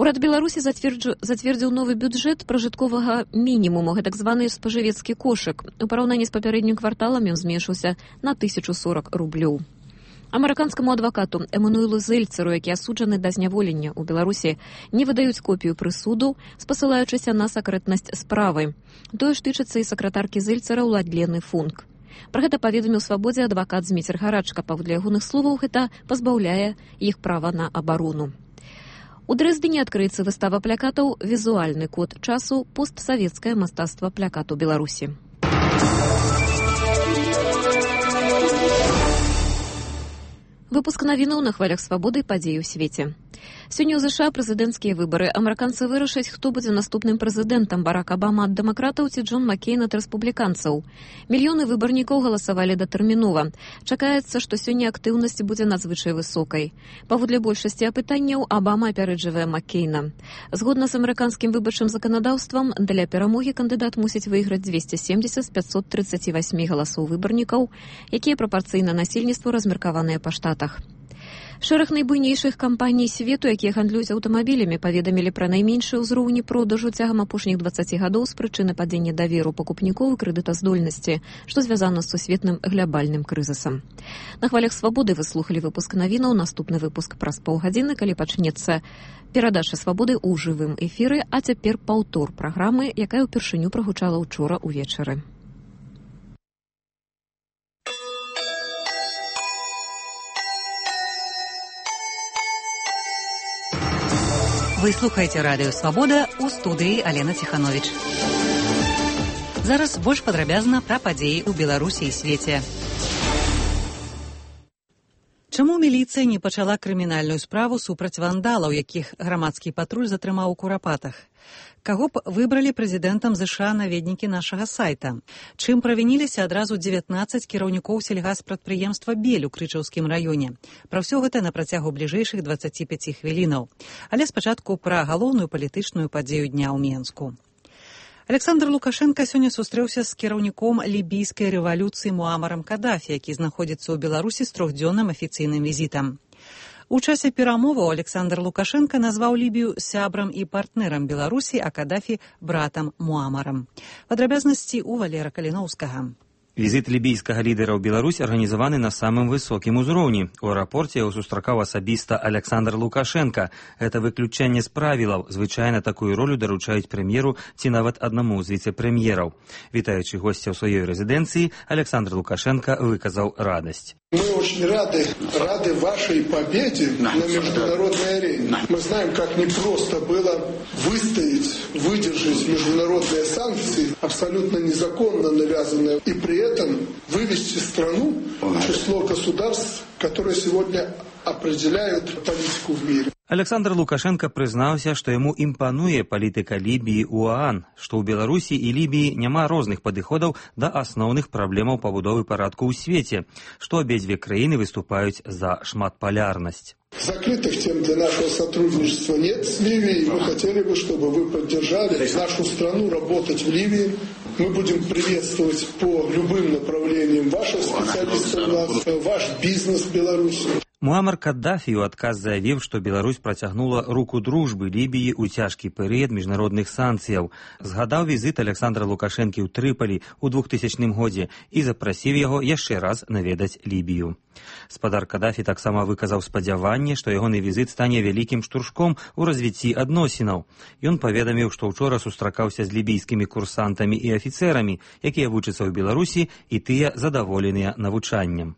Урад Беларусі зацвердзіў новы бюджэт пражытковага мінімуму, гэтак званы спажывецкі кошык. У параўнанні з папярэднім кварталам ён зменшыўся на тысячу сорок рублёў. Амерыканскаму адвакату Эмануэлу Зельцеру, які асуджаны да зняволення ў Беларусі, не выдаюць копію прысуду, спасылаючыся на сакрэтнасць справы. Тое ж тычыцца і сакратаркі Зельцера Уладлены Функ. Пра гэта паведаміў «Свабодзе» адвакат Зміцер Гарачка. Паводле ягоных словаў, гэта пазбаўляе іх права на абарону. У Дрэздзене адкрыецца выстава плакатаў «Візуальны код часу. Постсавецкае мастацтва плакату Беларусі». Выпуск навінаў на хвалях свабоды, падзеі ў свеце. Сёння ў ЗША прэзідэнцкія выбары. Амерыканцы вырашаць, хто будзе наступным прэзідэнтам: Барак Абама ад дэмакратаў ці Джон Маккейн ад рэспубліканцаў. Мільёны выбарнікоў галасавалі датэрмінова. Чакаецца, што сёння актыўнасць будзе надзвычай высокай. Паводле большасці апытанняў Абама апярэджвае Маккейна. Згодна з амерыканскім выбарчым заканадаўствам, для перамогі кандыдат мусіць выйграць дзвесце семдзесят з пятьсот тридцати восьми галасоў выбарнікаў, якія прапарцыйна насельніцтву размеркаваныя па штатах. Шэраг найбуйнейшых кампаній свету, якія гандлююць аўтамабілямі, паведамілі пра найменшыя ўзроўні продажу цягам апошніх дваццаці гадоў з прычыны падзення даверу пакупнікоў і крэдытаздольнасці, што звязана з сусветным глябальным крызісам. На хвалях свабоды вы слухалі выпуск навінаў. Наступны выпуск праз паўгадзіны, калі пачнецца перадача свабоды ў жывым эфіры, а цяпер паўтор праграмы, якая ўпершыню прагучала ўчора ўвечары. Вы слухаеце радыё «Свабода», у студыі Алена Ціхановіч. Зараз больш падрабязна пра падзеі ў Беларусі і свеце. Чаму міліцыя не пачала крымінальную справу супраць вандалаў, якіх грамадскі патруль затрымаў у Курапатах? Каго б выбралі прэзідэнтам ЗША наведнікі нашага сайта? Чым правініліся адразу дзевятнаццаць кіраўнікоў сельгаспрадпрыемства «Бель» у Крычаўскім раёне? Пра ўсё гэта на працягу бліжэйшых дваццаці пяці хвілінаў. Але спачатку пра галоўную палітычную падзею дня ў Мінску. Александр Лукашенко сёння сустрэўся з кіраўніком лібійскай рэвалюцыі Муамарам Кадафі, які знаходзіцца ў Беларусі з трохдзённым афіцыйным візітам. У часе перамоваў Александр Лукашенко назваў Лібію сябрам і партнерам Беларусі, а Кадафі братам Муамарам. Падрабязнасці ў Валера Каліноўскага. Візит лібійскага лідара ў Беларусь арганізаваны на самым высокім узроўні. У аэрапорце яго сустракаў асабіста Александр Лукашенко. Гэта выключэнне з правілаў. Звычайна такую ролю даручаюць прэм'еру ці нават аднаму з віцэ-прэм'ераў. Вітаючы госця ў сваёй рэзідэнцыі, Александр Лукашенко выказаў радасць. Мы очень рады, рады вашей победе на международной арене. Мы знаем, как непросто было выстоять, выдержать международные санкции, абсолютно незаконно навязанные, и при этом вывести страну в число государств, которые сегодня определяют политику в мире. Александр Лукашенко прызнаўся, што яму імпануе палітыка Лібіі ў ОАН, што ў Беларусі і Лібіі няма розных падыходаў да асноўных праблемаў пабудовы парадку ў свеце, што абедзве краіны выступаюць за шматполярнасць. Закрытых тем для нашего сотрудничества нет с Ливией. Мы хотели бы, чтобы вы поддержали нашу страну работать в Ливии. Мы будем приветствовать по любым направлениям ваших специалистов, ваш бизнес в Беларуси. Муамар Каддафі ў адказ заявіў, што Беларусь працягнула руку дружбы Лібіі ў цяжкі перыяд міжнародных санкцыяў. Згадаў візіт Александра Лукашэнкі ў Трыпалі ў двухтысячным годзе і запрасіў яго яшчэ раз наведаць Лібію. Спадар Каддафі таксама выказаў спадзяванне, што ягоны візіт стане вялікім штуршком у развіцці адносінаў. Ён паведаміў, што ўчора сустракаўся з лібійскімі курсантамі і афіцэрамі, якія вучацца ў Беларусі, і тыя задаволеныя навучаннем.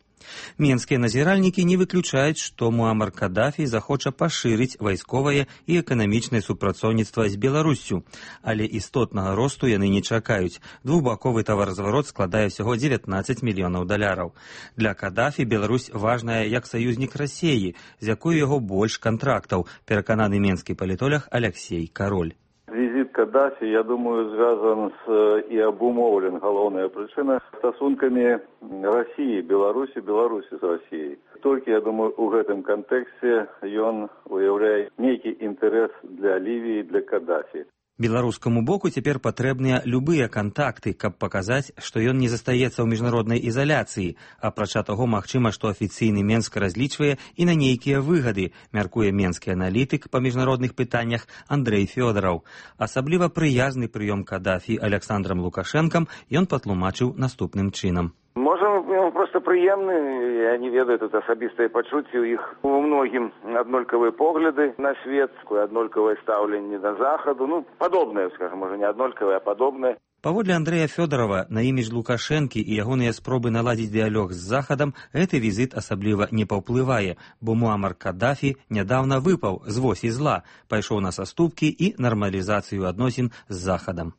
Менскія назіральнікі не выключаюць, што Муамар Каддафі захоча пашырыць вайсковае і эканамічнае супрацоўніцтва з Беларуссю, але істотнага росту яны не чакаюць. Двухбаковы таваразварот складае ўсяго дзевятнаццаць мільёнаў даляраў. Для Каддафі Беларусь важная як саюзнік Расіі, з якой яго больш кантрактаў, перакананы менскі палітолог Алексей Кароль. Визит Каддафи, я думаю, связан с и обумовлен, главная причина, стосунками России, Беларуси, Беларуси с Россией. Только, я думаю, в этом контексте он уявляет некий интерес для Ливии, для Каддафи. Беларускаму боку цяпер патрэбныя любыя кантакты, каб паказаць, што ён не застаецца ў міжнароднай ізаляцыі. Апрача таго, магчыма, што афіцыйны Менск разлічвае і на нейкія выгады, мяркуе менскі аналітык па міжнародных пытаннях Андрэй Фёдараў. Асабліва прыязны прыём Каддафі Александрам Лукашэнкам ён патлумачыў наступным чынам. Можа, просто прыемны, я не ведаю, тут асабістыя пачуцці ў іх. У многім аднолькавыя погляды на свет, аднолькавае стаўленне да захаду, ну, падобнае, скажем, можа, не аднолькавае, а падобнае. Паводле Андрэя Фёдарова, на імідж Лукашэнкі і ягоныя спробы наладзіць дыялог з захадам, гэты візіт асабліва не паўплывае, бо Муамар Каддафі нядаўна выпаў з восі зла, пайшоў на саступкі і нармалізацыю адносін з захадам.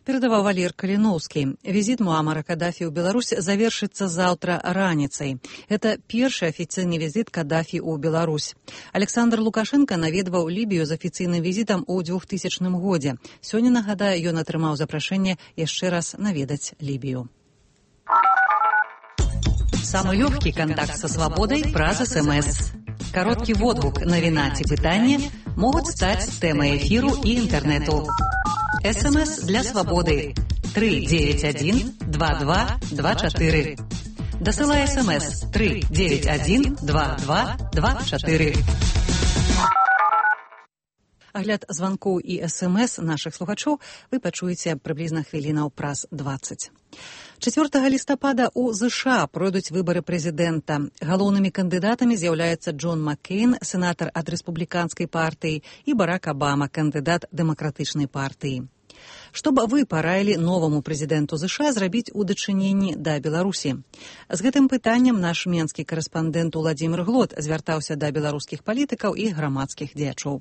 Перадаваў Валер Каліноўскі. Візіт Муамара Каддафі ў Беларусь завершыцца заўтра раніцай. Это першы афіцыйны візіт Каддафі ў Беларусь. Александр Лукашенко наведваў Лібію з афіцыйным візітам у двухтысячным годзе. Сёння, нагадаю, ён атрымаў запрашэнне яшчэ раз наведаць Лібію. Самый легкий контакт со свободой праз СМС. Короткий водгук, навіна ці пытанне могут стать темой эфиру и интернету. СМС для свободы три девять один два два два четыре. Досылай СМС три девять один два два два четыре. Агляд званкоў і СМС нашых слухачоў вы пачуеце прыблізна хвілінаў праз дваццаць. чацвёртага лістапада ў ЗША пройдуць выбары прэзідэнта. Галоўнымі кандыдатамі з'яўляюцца Джон Маккейн, сенатар ад рэспубліканскай партыі, і Барак Абама, кандыдат дэмакратычнай партыі. Што б вы параілі новаму прэзідэнту ЗША зрабіць у дачыненні да Беларусі? З гэтым пытаннем наш менскі карэспандэнт Уладзімір Глот звяртаўся да беларускіх палітыкаў і грамадскіх дзеячоў.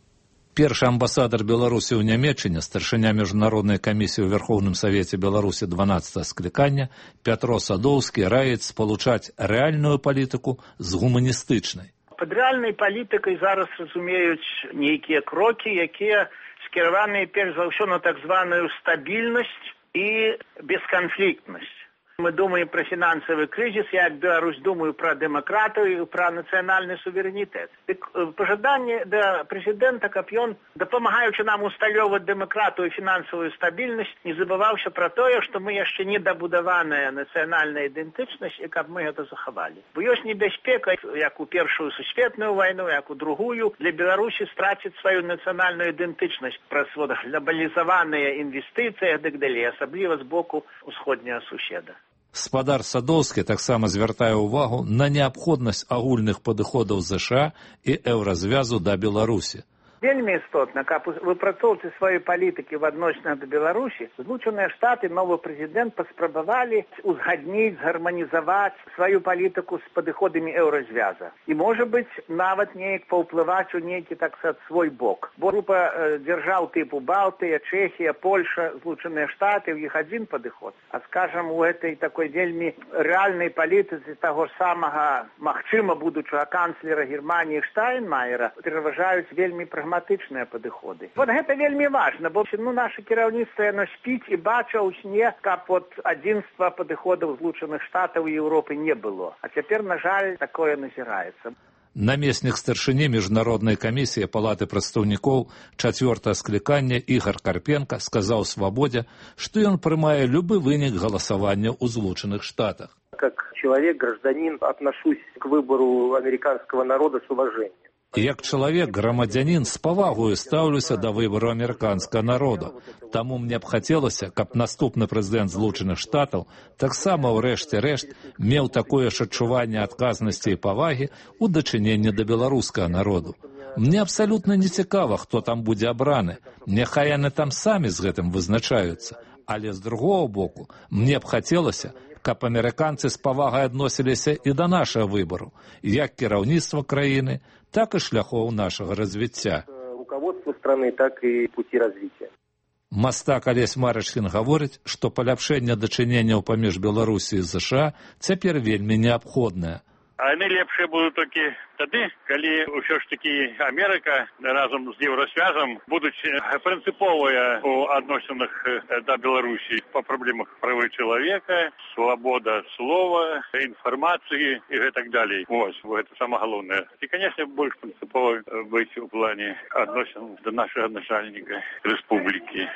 Першы амбасадар Беларусі ў Нямецчыне, старшыня міжнароднай камісіі ў Верховным Савеце Беларусі дванаццатага склікання Пятро Садоўскі раіць спалучаць рэальную палітыку з гуманістычнай. Пад рэальнай палітыкай зараз разумеюць нейкія крокі, якія скіраваныя перш за ўсё на так званую стабільнасць і бесканфліктнасць. Мы думаем про финансовый кризис, я как Беларусь думаю про демократию и про национальный суверенитет. Так, пожелание до президента, как он, допомагаючи нам усталёвать демократию и финансовую стабильность, не забывался про то, что мы еще не добудованная национальная идентичность, и как мы это заховали. Бо есть небезпека, як у Первую сусветную войну, як у другую, для Беларуси стратить свою национальную идентичность про глобализованные инвестиции и так далее, особливо с боку усходнего суседа. Спадар Садоўскі таксама звяртае ўвагу на неабходнасць агульных падыходаў ЗША і еўразвязу да Беларусі. Вельмі істотна, каб у выпрацоўцы сваёй палітыкі в адносінах да Беларусі Злучаныя Штаты, новы прэзідэнт паспрабавалі узгадніць, гарманізаваць сваю палітыку з падыходамі еўразвяза. І, можа быць, нават неяк паўплываць у нейкі, так сказаць, свой бок. Бо група э, дзяржаў тыпу Балтыя, Чэхія, Польша, Злучаныя Штаты, у іх адзін падыход. А, скажам, у гэтай такой вельмі рэальнай палітыцы таго самага, магчыма, будучага канцлера Германіі Штайнмаера пераважаюць вельмі прагматычныя прагматычныя падыходы. Вот гэта вельмі важна, бо ну, наша кіраўніцтва яно спіць і бача ў сне, каб от адзінства падыходаў Злучаных Штатаў і Еўропы не было. А цяпер, на жаль, такое назіраецца. Намеснік старшыні міжнароднай камісіі Палаты прадстаўнікоў чацвёртага склікання Ігор Карпенка сказаў «Свабодзе», што ён прымае любы вынік галасавання ў Злучаных Штатах. Как человек, гражданин, отношусь к выбору американского народа с уважением. Як чалавек, грамадзянін, з павагою стаўлюся да выбару амерыканскага народа. Таму мне б хацелася, каб наступны прэзідэнт Злучаных Штатаў таксама ў рэшце рэшт меў такое ж адчуванне адказнасці і павагі ў дачыненні да беларускага народу. Мне абсалютна не цікава, хто там будзе абраны. Няхай яны там самі з гэтым вызначаюцца. Але з другого боку, мне б хацелася, каб амерыканцы з павагай адносіліся і да нашага выбару, як кіраўніцтва краіны, так і шляхоў нашага развіцця. Руководство страны, так і пути развіцця. Мастак Алесь Марачкін гаворыць, што паляпшэнне дачыненняў паміж Беларусі і ЗША цяпер вельмі неабходнае. А яны лепшыя будуць толькі тады, калі ўсё ж такі Амерыка разам з Еўрасвязам будуць прынцыповыя у адносінах да Беларусі па праблемах правы чалавека, свабода слова, інфармацыі і гэтак далей. Вось, гэта самае галоўнае. І, канешне, больш прынцыпова быць у плане адносін да нашага начальніка рэспублікі.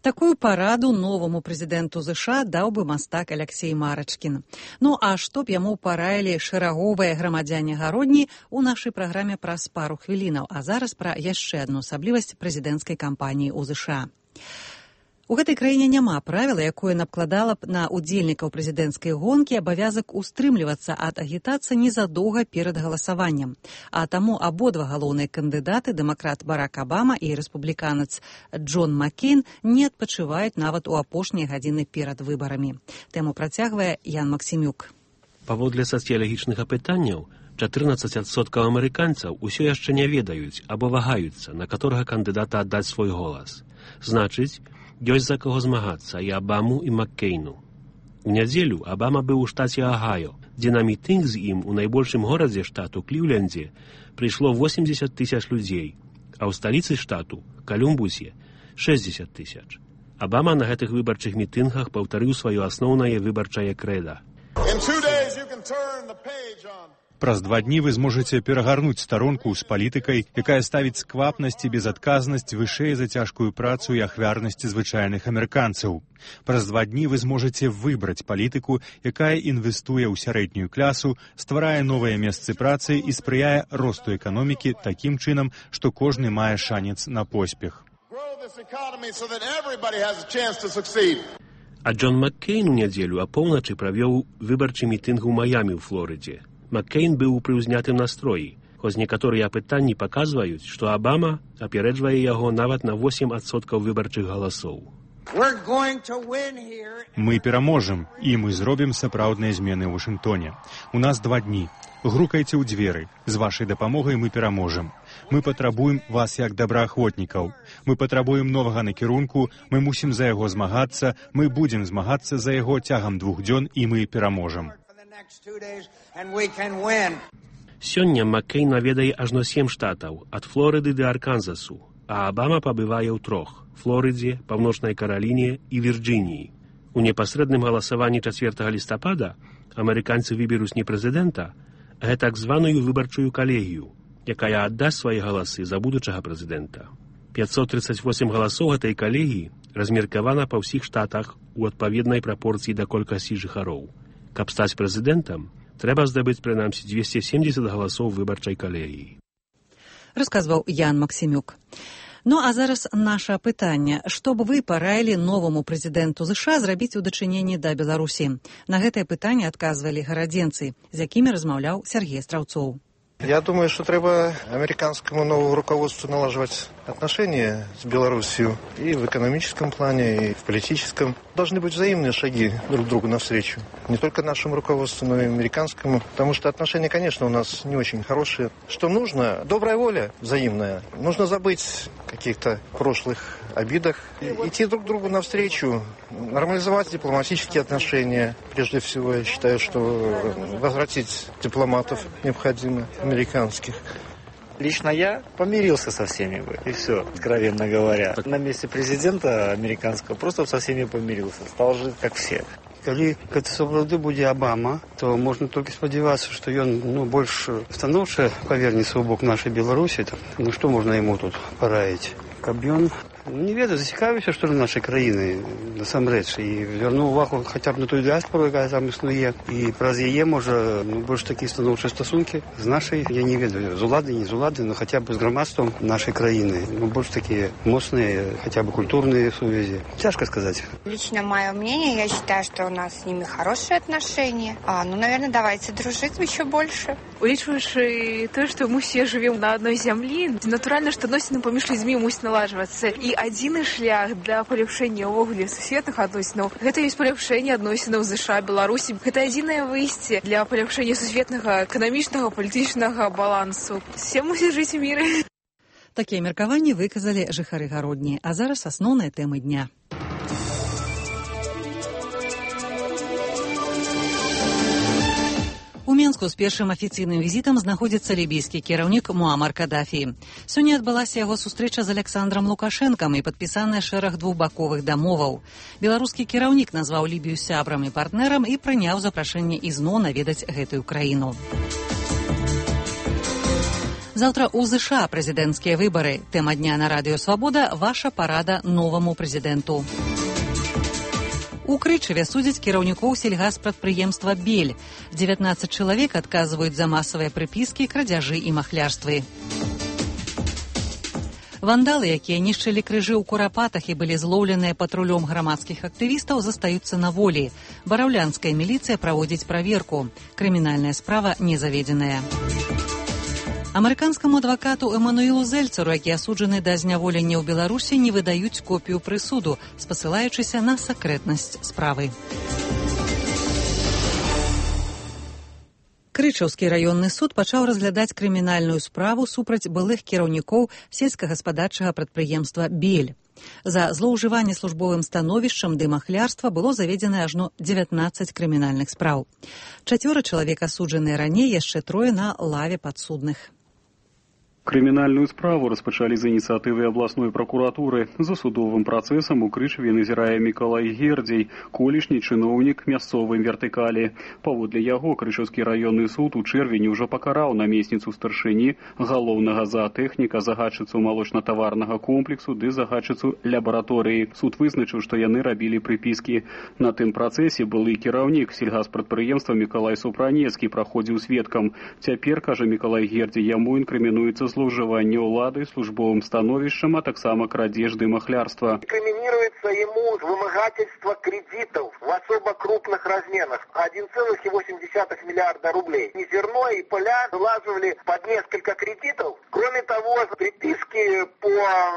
Такую параду новому прэзідэнту ЗША даў бы мастак Алексей Марачкін. Ну а што б яму параілі шэраговыя грамадзяне гародні ў нашай праграме праз пару хвілінаў. А зараз пра яшчэ адну асаблівасць прэзідэнцкай кампаніі ў ЗША. У гэтай краіне няма правіла, якое накладала б на удзельнікаў прэзідэнцкай гонкі абавязак устрымлівацца ад агітацыі незадоўга перад галасаваннем. А таму абодва галоўныя кандыдаты, дэмакрат Барак Абама і рэспубліканец Джон Маккейн, не адпачываюць нават у апошнія гадзіны перад выбарамі. Тэму працягвае Ян Максімюк. Паводле сацыялагічных апытанняў, чатырнаццаць адсоткаў амерыканцаў усё яшчэ не ведаюць або вагаюцца, на каторага кандыдата аддаць свой голас. Значыць, ёсць за каго змагацца і Абаму, і Маккейну. У нядзелю Абама быў у штаце Агайо, дзе на мітынг з ім у найбольшым горадзе штату Кліўлендзе прыйшло восемьдесят тысяч людзей, а ў сталіцы штату, Калумбусе, шэсцьдзесят тысяч. Абама на гэтых выбарчых мітынгах паўтарыў сваё асноўнае выбарчае крэда. Праз два дні вы зможаце перагарнуць старонку з палітыкай, якая ставіць сквапнасць і безадказнасць вышэй за цяжкую працу і ахвярнасць звычайных амерыканцаў. Праз два дні вы зможаце выбраць палітыку, якая інвестуе ў сярэднюю клясу, стварае новыя месцы працы і спрыяе росту эканомікі такім чынам, што кожны мае шанец на поспех. А Джон Маккейн у нядзелю апоўначы правёў выбарчы мітынг у Маямі ў Флорыдзе. Маккейн быў у прыўзнятым настроі, хоць некаторыя апытанні паказваюць, што Абама апярэджвае яго нават на восемь адсоткаў выбарчых галасоў. Мы пераможам, і мы зробім сапраўдныя змены ў Вашынгтоне. У нас два дні. Грукайце ў дзверы. З вашай дапамогай мы пераможам. Мы патрабуем вас як добраахвотнікаў. Мы патрабуем новага накірунку, мы мусім за яго змагацца, мы будзем змагацца за яго цягам двух дзён, і мы пераможам. Сёння Маккейн наведае ажно сем штатаў, ад Флорыды да Арканзасу, а Абама пабывае ў трох – Флорыдзе, Паўночнай Караліне і Вірджыніі. У непасрэдным галасаванні чацвёртага лістапада амерыканцы выберуць не прэзідэнта, а так званую выбарчую калегію, якая аддасць свае галасы за будучага прэзідэнта. пятьсот тридцать восемь галасоў гэтай калегіі размеркавана па ўсіх штатах у адпаведнай прапорцыі да колькасці жыхароў. Каб стаць прэзідэнтам, трэба здабыць прынамсі двести семьдесят галасоў выбарчай калегіі. Расказваў Ян Максімюк. Ну а зараз наша пытанне. Што б вы параілі новаму прэзідэнту ЗША зрабіць у дачыненні да Беларусі? На гэтае пытанне адказвалі гарадзенцы, з якімі размаўляў Сергей Страўцоў. Я думаю, что треба американскому новому руководству налаживать отношения с Белоруссией и в экономическом плане, и в политическом. Должны быть взаимные шаги друг другу навстречу. Не только нашему руководству, но и американскому. Потому что отношения, конечно, у нас не очень хорошие. Что нужно? Добрая воля взаимная. Нужно забыть о каких-то прошлых обидах. Идти друг другу навстречу. Нормализовать дипломатические отношения. Прежде всего, я считаю, что возвратить дипломатов необходимо, американских. Лично я помирился со всеми бы, и все, откровенно говоря. На месте президента американского просто со всеми помирился, стал жить как все. Калі гэта сапраўды будзе Абама, то можна толькі спадзявацца, што ён ну, больш станоўча павернецца ў бок нашай Беларусі. Ну што можна яму тут параіць? Каб ён, не ведаю, зацікавіўся, што на нашай краіны насамрэч, і вярнуў увагу хаця б на тую дыаспору, якая там існуе, і праз яе можа ну, больш такія станоўчыя стасункі з нашай, я не ведаю, з улады, не з улады, но хаця б з грамадствам нашай краіны. Ну, больш такія моцныя, хаця б культурныя сувязі. Цяжка сказаць. Лично мое мнение, я считаю, что у нас с ними хорошие отношения. А, ну, наверное, давайте дружить еще больше. Улічваючы то, што мы все живем на одной зямлі, натуральна, што адносіны паміж людзьмі мусяць наладжвацца. І адзіны шлях для паляпшэння ўвогуле сусветных адносінаў – гэта ёсць паляпшэнне адносінаў ЗША, Беларусі. Гэта адзінае выйсце для паляпшэння сусветнага эканамічнага, палітычнага балансу. Все мусяць жыць у міры. Такія меркаванні выказалі жыхары гародні. А зараз асноўныя тэмы дня. У Менску з першым афіцыйным візітам знаходзіцца лібійскі кіраўнік Муамар Кадафі. Сёння адбылася яго сустрэча з Александром Лукашэнкам і падпісаны шэраг двухбаковых дамоваў. Беларускі кіраўнік назваў Лібію сябрам і партнерам і прыняў запрашэнне ізноў наведаць гэтую краіну. Заўтра ў ЗША прэзідэнцкія выбары. Тэма дня на радыё Свабода – ваша парада новаму прэзідэнту. У Крычаве судзяць кіраўнікоў сельгаспрадпрыемства «Бель». дзевятнаццаць чалавек адказваюць за масавыя прыпіскі, крадзяжы і махлярствы. Вандалы, якія нішчылі крыжы ў Курапатах і былі злоўленыя патрулём грамадскіх актывістаў, застаюцца на волі. Бараўлянская міліцыя праводзіць праверку. Крымінальная справа не заведзеная. Амерыканскаму адвакату Эмануэлу Зельцеру, які асуджаны да зняволення ў Беларусі, не выдаюць копію прысуду, спасылаючыся на сакрэтнасць справы. Крычаўскі раённы суд пачаў разглядаць крымінальную справу супраць былых кіраўнікоў сельскагаспадарчага прадпрыемства «Бель». За злоўжыванне службовым становішчам ды махлярства было заведзена ажно дзевятнаццаць крымінальных спраў. Чацвёра чалавек асуджаныя раней, яшчэ трое на лаве падсудных. Крымінальную справу распачалі з ініцыятывы абласной пракуратуры. За судовым працэсам у Крычаве назірае Мікалай Гердзей, колішні чыноўнік мясцовай вертыкалі. Паводле яго Крычаўскі раённы суд у чэрвені ўжо пакараў намесніцу старшыні, галоўнага заатэхніка, загадчыцу малочна-таварнага комплексу ды загадчыцу лабараторыі. Суд вызначыў, што яны рабілі прыпіскі. На тым працэсе былы кіраўнік сельгаспрадпрыемства Мікалай Супранецкі праходзіў сведкам. Цяпер, кажа Мікалай Гердзей, яму інкрымінуецца злоўжыванне ўлады службовым становішчам, а таксама крадзеж ды махлярства. Инкриминируется ему вымогательство кредитов в особо крупных размерах. один целых восемь десятых миллиарда рублей. И зерно, и поля вылаживали под несколько кредитов. Кроме того, приписки по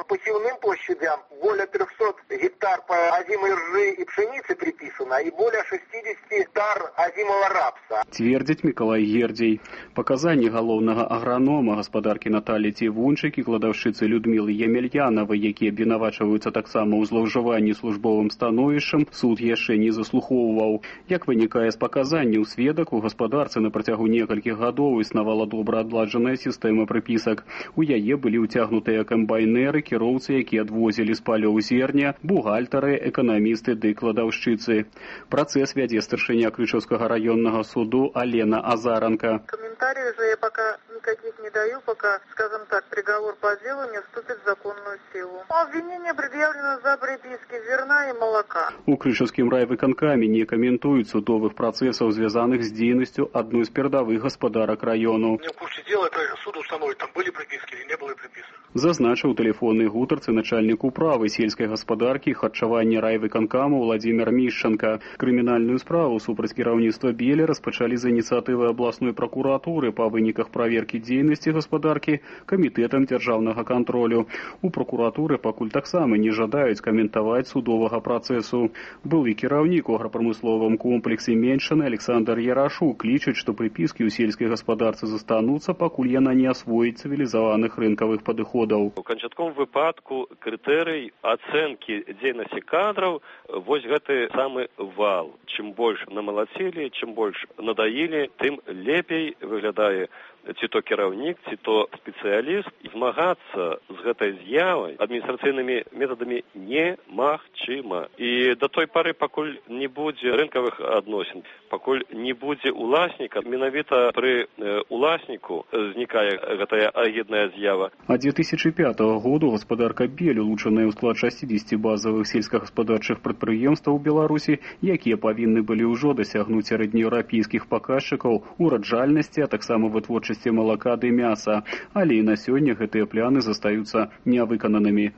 посевным площадям более трехсот гектар по озимой ржи и пшеницы приписано, и более шестьдесят гектар озимого рапса. Твердзіць Мікалай Гердзей. Паказанні галоўнага агранома гаспадаркі Наталі Цівунчык і кладаўшчыцы Людмілы Емельянавай, якія абвінавачваюцца таксама ў злоўжыванні службовым становішчам, суд яшчэ не заслухоўваў. Як вынікае з паказанняў сведак, у гаспадарцы на працягу некалькіх гадоў існавала добра адладжаная сістэма прыпісак. У яе былі ўцягнутыя камбайнеры, кіроўцы, якія адвозілі з палёў зерня, бухгалтары, эканамісты ды кладаўшчыцы. Працэс вядзе старшыня Крычаўскага раённага суду Алена Азаранка. Комментариев же я пока никаких не даю, пока, скажем так, приговор по делу не вступит в законную силу. Обвинение предъявлено за приписки зерна и молока. У Крышаўскім райвыканкаме не каментуюць судовых працэсаў, звязаных з дзейнасцю адной з перадавых гаспадарак раёну. Не в курсе дела, это суд установит, там были приписки или не было приписок. Зазначыў тэлефоннай гутарцы начальнік управы сельскай гаспадаркі і харчавання райвыканкаму Владзімір Мішчанка. Крымінальную справу супраць кіраўніцтва Белі распачалі з ініцыятывы абласной пракуратуры па выніках праверкі дзейнасці гаспадаркі камітэтам дзяржаўнага кантролю. У пракуратуры пакуль таксама не жадаюць каментаваць судовага працэсу. Былы кіраўнік у аграпрамысловым комплексе Меншаны Александр Ярашук лічыць, што прыпіскі ў сельскай гаспадарцы застануцца, пакуль яна не асвоіць цывілізаваных рынкавых падыходаў. У канчатковым выпадку крытэрый ацэнкі дзейнасці кадраў вось гэты самы вал. Чым больш намалацілі, чым больш надаілі, тым лепей выглядае ці то кіраўнік, ці то спецыяліст. Змагацца з гэтай з'явай адміністрацыйнымі метадамі немагчыма. І да той пары, пакуль не будзе рынкавых адносін, пакуль не будзе уласніка, менавіта пры уласніку знікае гэтая агідная з'ява. А две тысячи пятого году гаспадарка Бель, улучшаная ў склад шестидесяти базавых сельскагаспадарчых прадпрыемстваў Беларусі, якія павінны былі ўжо дасягнуць сярэднееўрапейскіх паказчыкаў ураджальнасці, а таксама вытворчасці молока ды мяса, але і на сёння гэтыя пляны застаюцца нявыкананымі.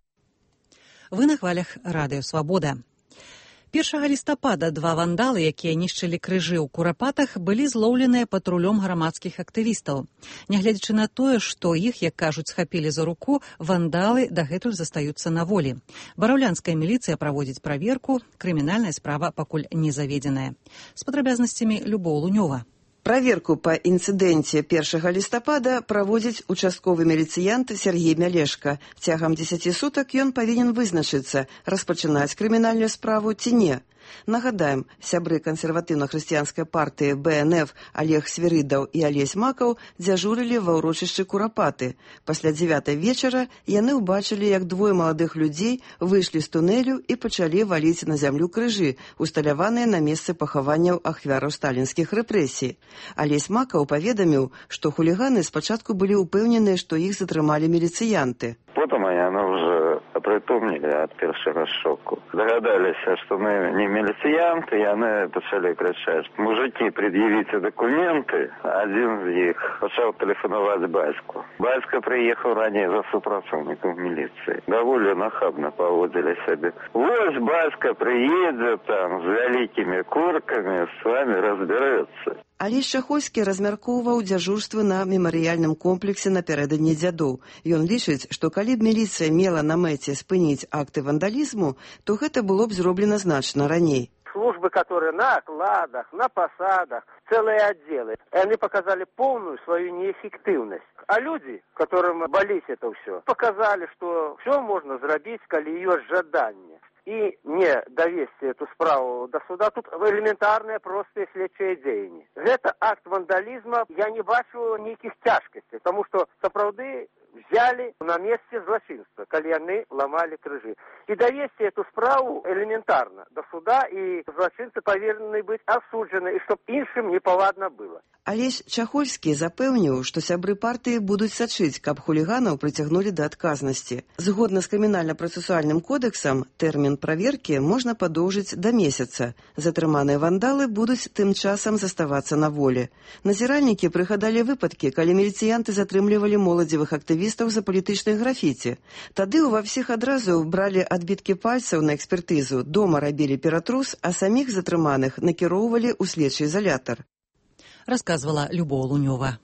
Вы на хвалях радыё Свабода. першага лістапада два вандалы, якія нішчылі крыжы ў Курапатах, былі злоўленыя патрулём грамадскіх актывістаў. Нягледзячы на тое, што іх, як кажуць, схапілі за руку, вандалы дагэтуль застаюцца на волі. Бараўлянская міліцыя праводзіць праверку, крымінальная справа пакуль не заведзеная. З падрабязнасцямі Любоў Лунёва. Праверку па інцыдэнце першага лістапада праводзіць участковы міліцыянт Сергей Мялешка. Цягам дзесяці сутак ён павінен вызначыцца, распачынаць крымінальную справу ці не. Нагадаем, сябры кансерватыўна-хрысціянскай партыі бэ эн эф Олег Свірыдаў і Алесь Макаў дзяжурылі ва ўрочышчы Курапаты. Пасля дзевятай вечара яны ўбачылі, як двое маладых людзей выйшлі з тунэлю і пачалі валіць на зямлю крыжы, усталяваныя на месцы пахаванняў ахвяраў сталінскіх рэпрэсій. Алесь Макаў паведаміў, што хуліганы спачатку былі ўпэўненыя, што іх затрымалі міліцыянты. Потом яны уже апрытомнілі ад першага шоку. Дагадаліся, што мы не міліцыянты, яны пачалі крычаць: «Мужики, пред'явіце документы». Адзін з іх пачаў тэлефанаваць бацьку. Бацька прыехаў раней за супрацоўнікам міліцыі. Даволі нахабна паводзілі сябе. Вось бацька прыедзе там з вялікімі куркамі, з вами разбярэцца. Алесь Чахольскі размяркоўваў дзяжурствы на мемарыяльным комплексе напярэдадні дзядоў. Ён лічыць, што калі б міліцыя мела на мэце спыніць акты вандалізму, то гэта было б зроблена значна раней. Службы, которые на окладах, на посадах, целые отделы, они показали полную свою неэффективность. А люди, которым болит это все, показали, что все можно зрабіць, калі ёсць жаданне. И не довести эту справу до суда, тут элементарные простые следчие дзеянні. Это акт вандализма, я не бачу никаких тяжкостей, потому что сапраўды взяли на месте злочинства, калі яны ломали крыжи. И довести эту справу элементарно до суда, и злочинцы повинны быть осуджены, и чтоб іншым непавадна было. Алесь Чахольскі запэўніў, што сябры партыі будуць сачыць, каб хуліганаў прыцягнулі да адказнасці. Згодна з крымінальна-працэсуальным кодэксам, тэрмін праверкі можна падоўжыць да месяца. Затрыманыя вандалы будуць тым часам заставацца на волі. Назіральнікі прыгадалі выпадкі, калі міліцыянты затрымлівалі моладзевых актывістаў за палітычнай графіці. Тады ўва всіх адразу бралі адбіткі пальцаў на экспертызу, дома рабілі ператрус, а саміх затрыманых накіроўвалі ў следчы изолятор. Рассказывала Любоў Лунёва.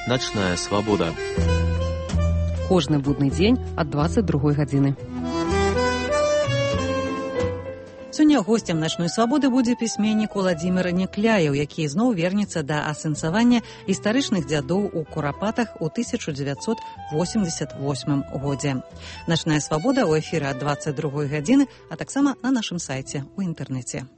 Ночная свабода. Кожны будны дзень ад дваццаць другой гадзіны. Сёння госцем начной свабоды будзе пісьменнік Уладзімір Някляеў, які зноў вернецца да асэнсавання гістарычных дзядоў у Курапатах у тысяча дзевяцьсот восемьдесят восьмым годзе. Начная свабода ў эфіры ад дваццаць другой гадзіны, а таксама на нашым сайце ў інтэрнэце.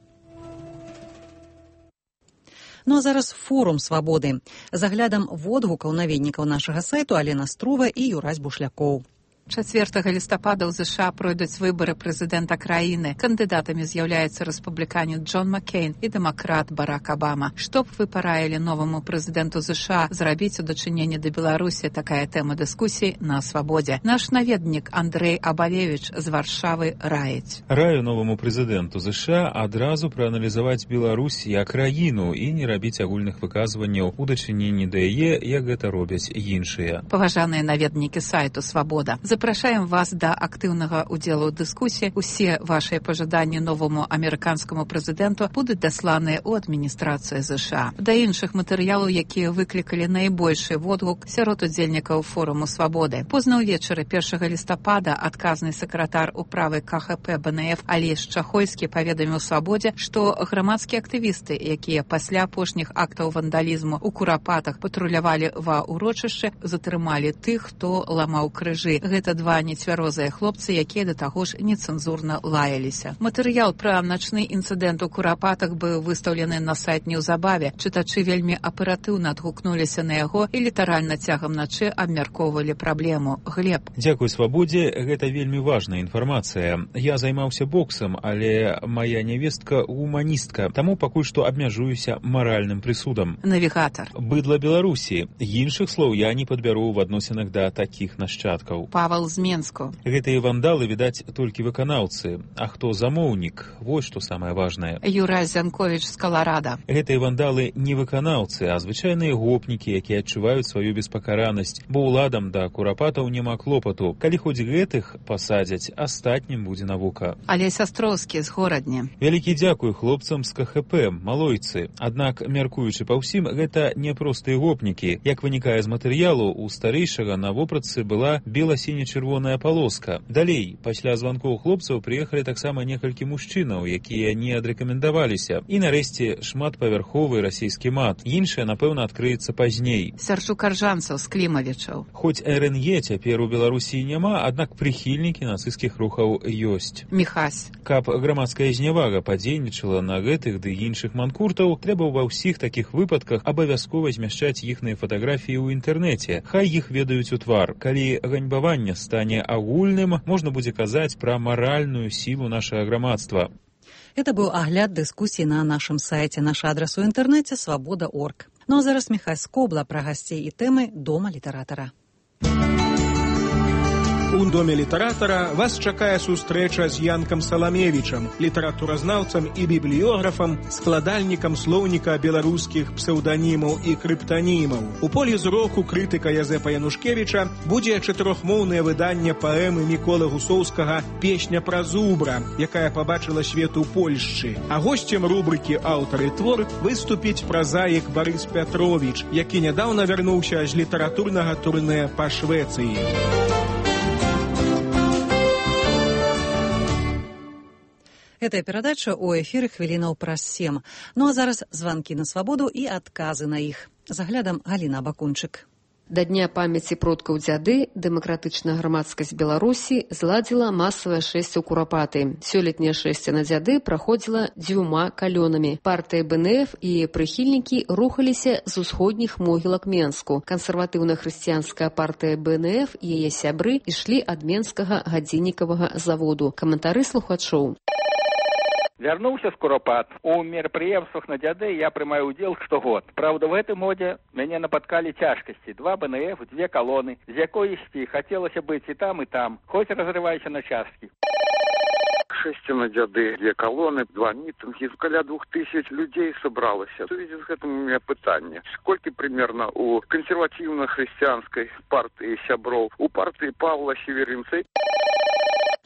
Ну а зараз форум свабоды. З аглядам водгукаў наведнікаў нашага сайту Алена Струва і Юрась Бушлякоў. чацвёртага лістапада ў ЗША пройдуць выбары прэзідэнта краіны. Кандыдатамі з'яўляюцца рэспубліканец Джон Маккейн і дэмакрат Барак Абама. Што б вы параілі новаму прэзідэнту ЗША зрабіць у дачыненні да Беларусі? Такая тэма дыскусій на Свабодзе. Наш наведнік Андрэй Абалевіч з Варшавы раіць. Раю новаму прэзідэнту ЗША адразу прааналізаваць Беларусь як краіну і не рабіць агульных выказванняў у дачыненні да яе, як гэта робяць іншыя. Паважаныя наведнікі сайту Свабода. Запрашаем вас да актыўнага ўдзелу ў дыскусіі. Усе вашыя пажаданні новаму амерыканскаму прэзідэнту будуць дасланыя ў адміністрацыю ЗША. Да іншых матэрыялаў, якія выклікалі найбольшы водгук сярод удзельнікаў форуму Свабоды. Позна ўвечары першага лістапада адказны сакратар управы КХП БНФ Алесь Чахойскі паведаміў Свабодзе, што грамадскія актывісты, якія пасля апошніх актаў вандалізму ў Курапатах патрулявалі ва ўрочышчы, затрымалі тых, хто ламаў крыжы. Гэта два нецвярозыя хлопцы, якія да таго ж нецэнзурна лаяліся. Матэрыял пра начны інцыдэнт у Курапатах быў выстаўлены на сайт неўзабаве. Чытачы вельмі аператыўна адгукнуліся на яго і літаральна цягам начы абмяркоўвалі праблему. Глеб. Дзякуй Свабодзе, гэта вельмі важная інфармацыя. Я займаўся боксам, але мая нявестка гуманістка, таму пакуль што абмяжуюся маральным прысудам. Навігатар. Быдла Беларусі. Іншых слоў я не падбяру ў адносінах да такіх нашчадкаў. Павал з Менску. Гэтыя вандалы, відаць, толькі выканаўцы. А хто замоўнік? Вось што самае важнае. Юрай Зянковіч з Каларада. Гэтыя вандалы не выканаўцы, а звычайныя гопнікі, якія адчуваюць сваю беспакаранасць, бо ўладам да Курапатаў няма клопату. Калі хоць гэтых пасадзяць, астатнім будзе навука. Алесь Астроўскі з Горадні. Вялікі дзякуй хлопцам з КХП, малойцы. Аднак, мяркуючы па ўсім, гэта не простыя гопнікі. Як вынікае з матэрыялу, у старэйшага на вопратцы была бела-сіне-чырвоная палоска. Далей, пасля званкоў хлопцаў прыехалі таксама некалькі мужчынаў, якія не адрэкамендаваліся. І нарэшце шматпавярховы расійскі мат. Іншае, напэўна, адкрыецца пазней. Сярчук Аржанцаў з Клімавічаў. Хоць РНЕ цяпер у Беларусі няма, аднак прыхільнікі нацысцкіх рухаў ёсць. Міхась. Каб грамадская знявага падзейнічала на гэтых ды іншых манкуртаў, трэба ва ўсіх такіх выпадках абавязкова змяшчаць іхныя фатаграфіі ў інтэрнэце. Хай іх ведаюць у твар. Калі ганьбаванне стане агульным, можна будзе казаць пра маральную сілу нашага грамадства. Это быў агляд дыскусій на нашым сайце. Наш адрас у інтэрнэце свабода точка орг. Ну а зараз Міхай Скобла пра гасцей і тэмы Дома літаратара. У Доме літаратара вас чакае сустрэча з Янкам Саламевічам, літаратуразнаўцам і бібліёграфам, складальнікам слоўніка беларускіх псеўданімаў і крыптанімаў. У полі зроку крытыка Язэпа Янушкевіча будзе чатырохмоўнае выданне паэмы Міколы Гусоўскага «Песня пра зубра», якая пабачыла свет у Польшчы. А госцем рубрыкі «Аўтар і твор» выступіць празаік Барыс Пятровіч, які нядаўна вярнуўся з літаратурнага турнэ па Швецыі. Гэтая перадача ў эфіры хвілінаў праз сем. Ну а зараз званкі на свабоду і адказы на іх. За аглядам Галіна Бакунчык. Да Дня памяці продкаў дзяды дэмакратычная грамадскасць Беларусі зладзіла масавае шэсце ў Курапаты. Сёлетняе шэсце на дзяды праходзіла дзвюма калёнамі. Партыя БНФ і прыхільнікі рухаліся з усходніх могілак Менску. Кансерватыўна-хрысціянская партыя БНФ і яе сябры ішлі ад менскага гадзіннікавага заводу. Каментары слухачоў. Вярнуўся з Курапат. У мерапрыемствах на дзяды я прымаю ўдзел штогод. Праўда, в гэтым годзе мяне напаткалі цяжкасці. Два БНФ, дзве калоны, з якой ісці хацелася быць і там, і там, хоць разрывайся на часткі. Шэсце на дзяды, две калоны, два мітынгі, каля двух тысяч людзей сабралася. У связи з гэтым у меня пытанне. Сколькі примерно у кансерватыўна-хрысціянскай партыі сяброў, у партыі Павла Северинца?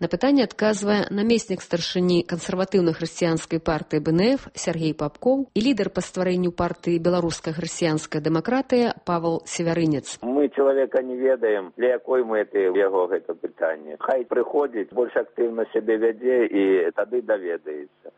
На пытанне адказвае намеснік старшыні кансерватыўна-хрысціянскай партыі БНФ Сергей Папкоў і лідар па стварэнню партыі «Беларуская хрысціянская дэмакратыя» Павел Севярынец. Мы чалавека не ведаем, для якой мэты яго гэта пытанне. Хай прыходзіць, больш актыўна сябе вядзе і тады даведаецца.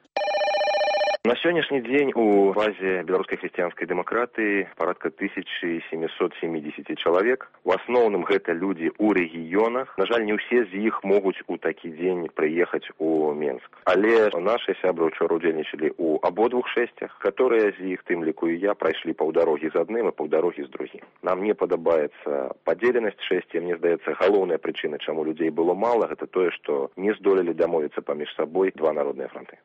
На сённяшні дзень у базе беларускай хрысціянскай дэмакратыі парадка тысяча семьсот семьдесят чалавек. У асноўным гэта людзі ў рэгіёнах. На жаль, не ўсе з іх могуць у такі дзень прыехаць у Менск. Але нашы сябры ўчора удзельнічалі ў абодвух шэсцях, которые з іх, тым ліку і я, прайшлі паўдарогі з адным і паўдарогі з другім. Нам не падабаецца падзеленасць шэсця. Мне здаецца, галоўная прычына, чаму людзей было мала, гэта тое, што не здолелі дамовіцца паміж сабой два народныя фронты.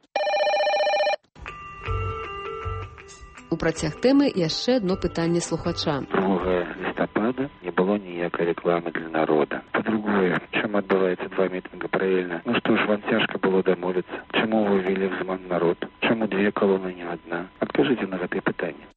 У працяг тэмы яшчэ одно пытанне слухача. другога лістапада не было ніякай рэкламы для народа. Па-другое, чым адбываецца два мітынга паралельна? Ну што ж, вам цяжка было дамовіцца? Чаму вы ввели в заман народ? Чаму две колоны, не одна? Адкажыце на гэтае пытанне.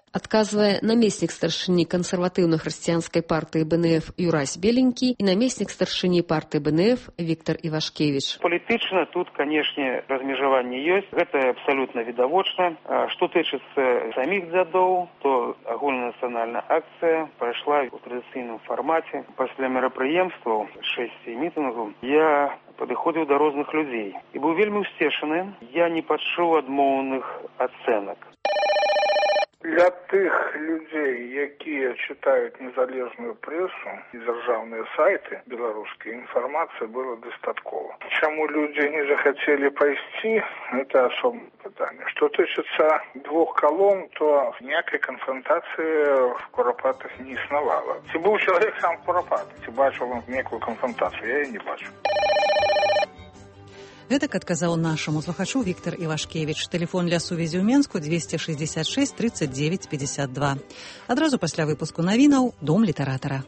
Адказвае намеснік старшыні кансерватыўна-хрысціянскай партыі БНФ Юрась Беленькі і намеснік старшыні партыі БНФ Віктор Івашкевіч. Палітычна тут, канешне, размежаванне ёсць. Гэта абсалютна відавочна. Што тычыцца саміх дзядоў, то агульнанацыянальная акцыя прайшла ў традыцыйным фармаце. Пасля мерапрыемстваў шэсці мітынгаў я падыходзіў да розных людзей і быў вельмі ўсцешаны. Я не пачуў адмоўных ацэнак. Для тых людзей, якія чытаюць незалежную прэсу і дзяржаўныя сайты беларускай, інфармацыі было дастаткова. Чаму людзі не захацелі пайсці, гэта асобнае пытанне. Што тычыцца двух калон, то ніякай канфронтацыі в Курапатах не існавала. Ці быў чалавек сам в Курапатах, ці бачыў он некую канфронтацыю, я яе не бачу. Гэтак адказаў нашаму слухачу Віктор Івашкевіч. Тэлефон для сувязі ў Менску двести шестьдесят шесть тридцать девять пятьдесят два. Адразу пасля выпуску навінаў Дом літаратара.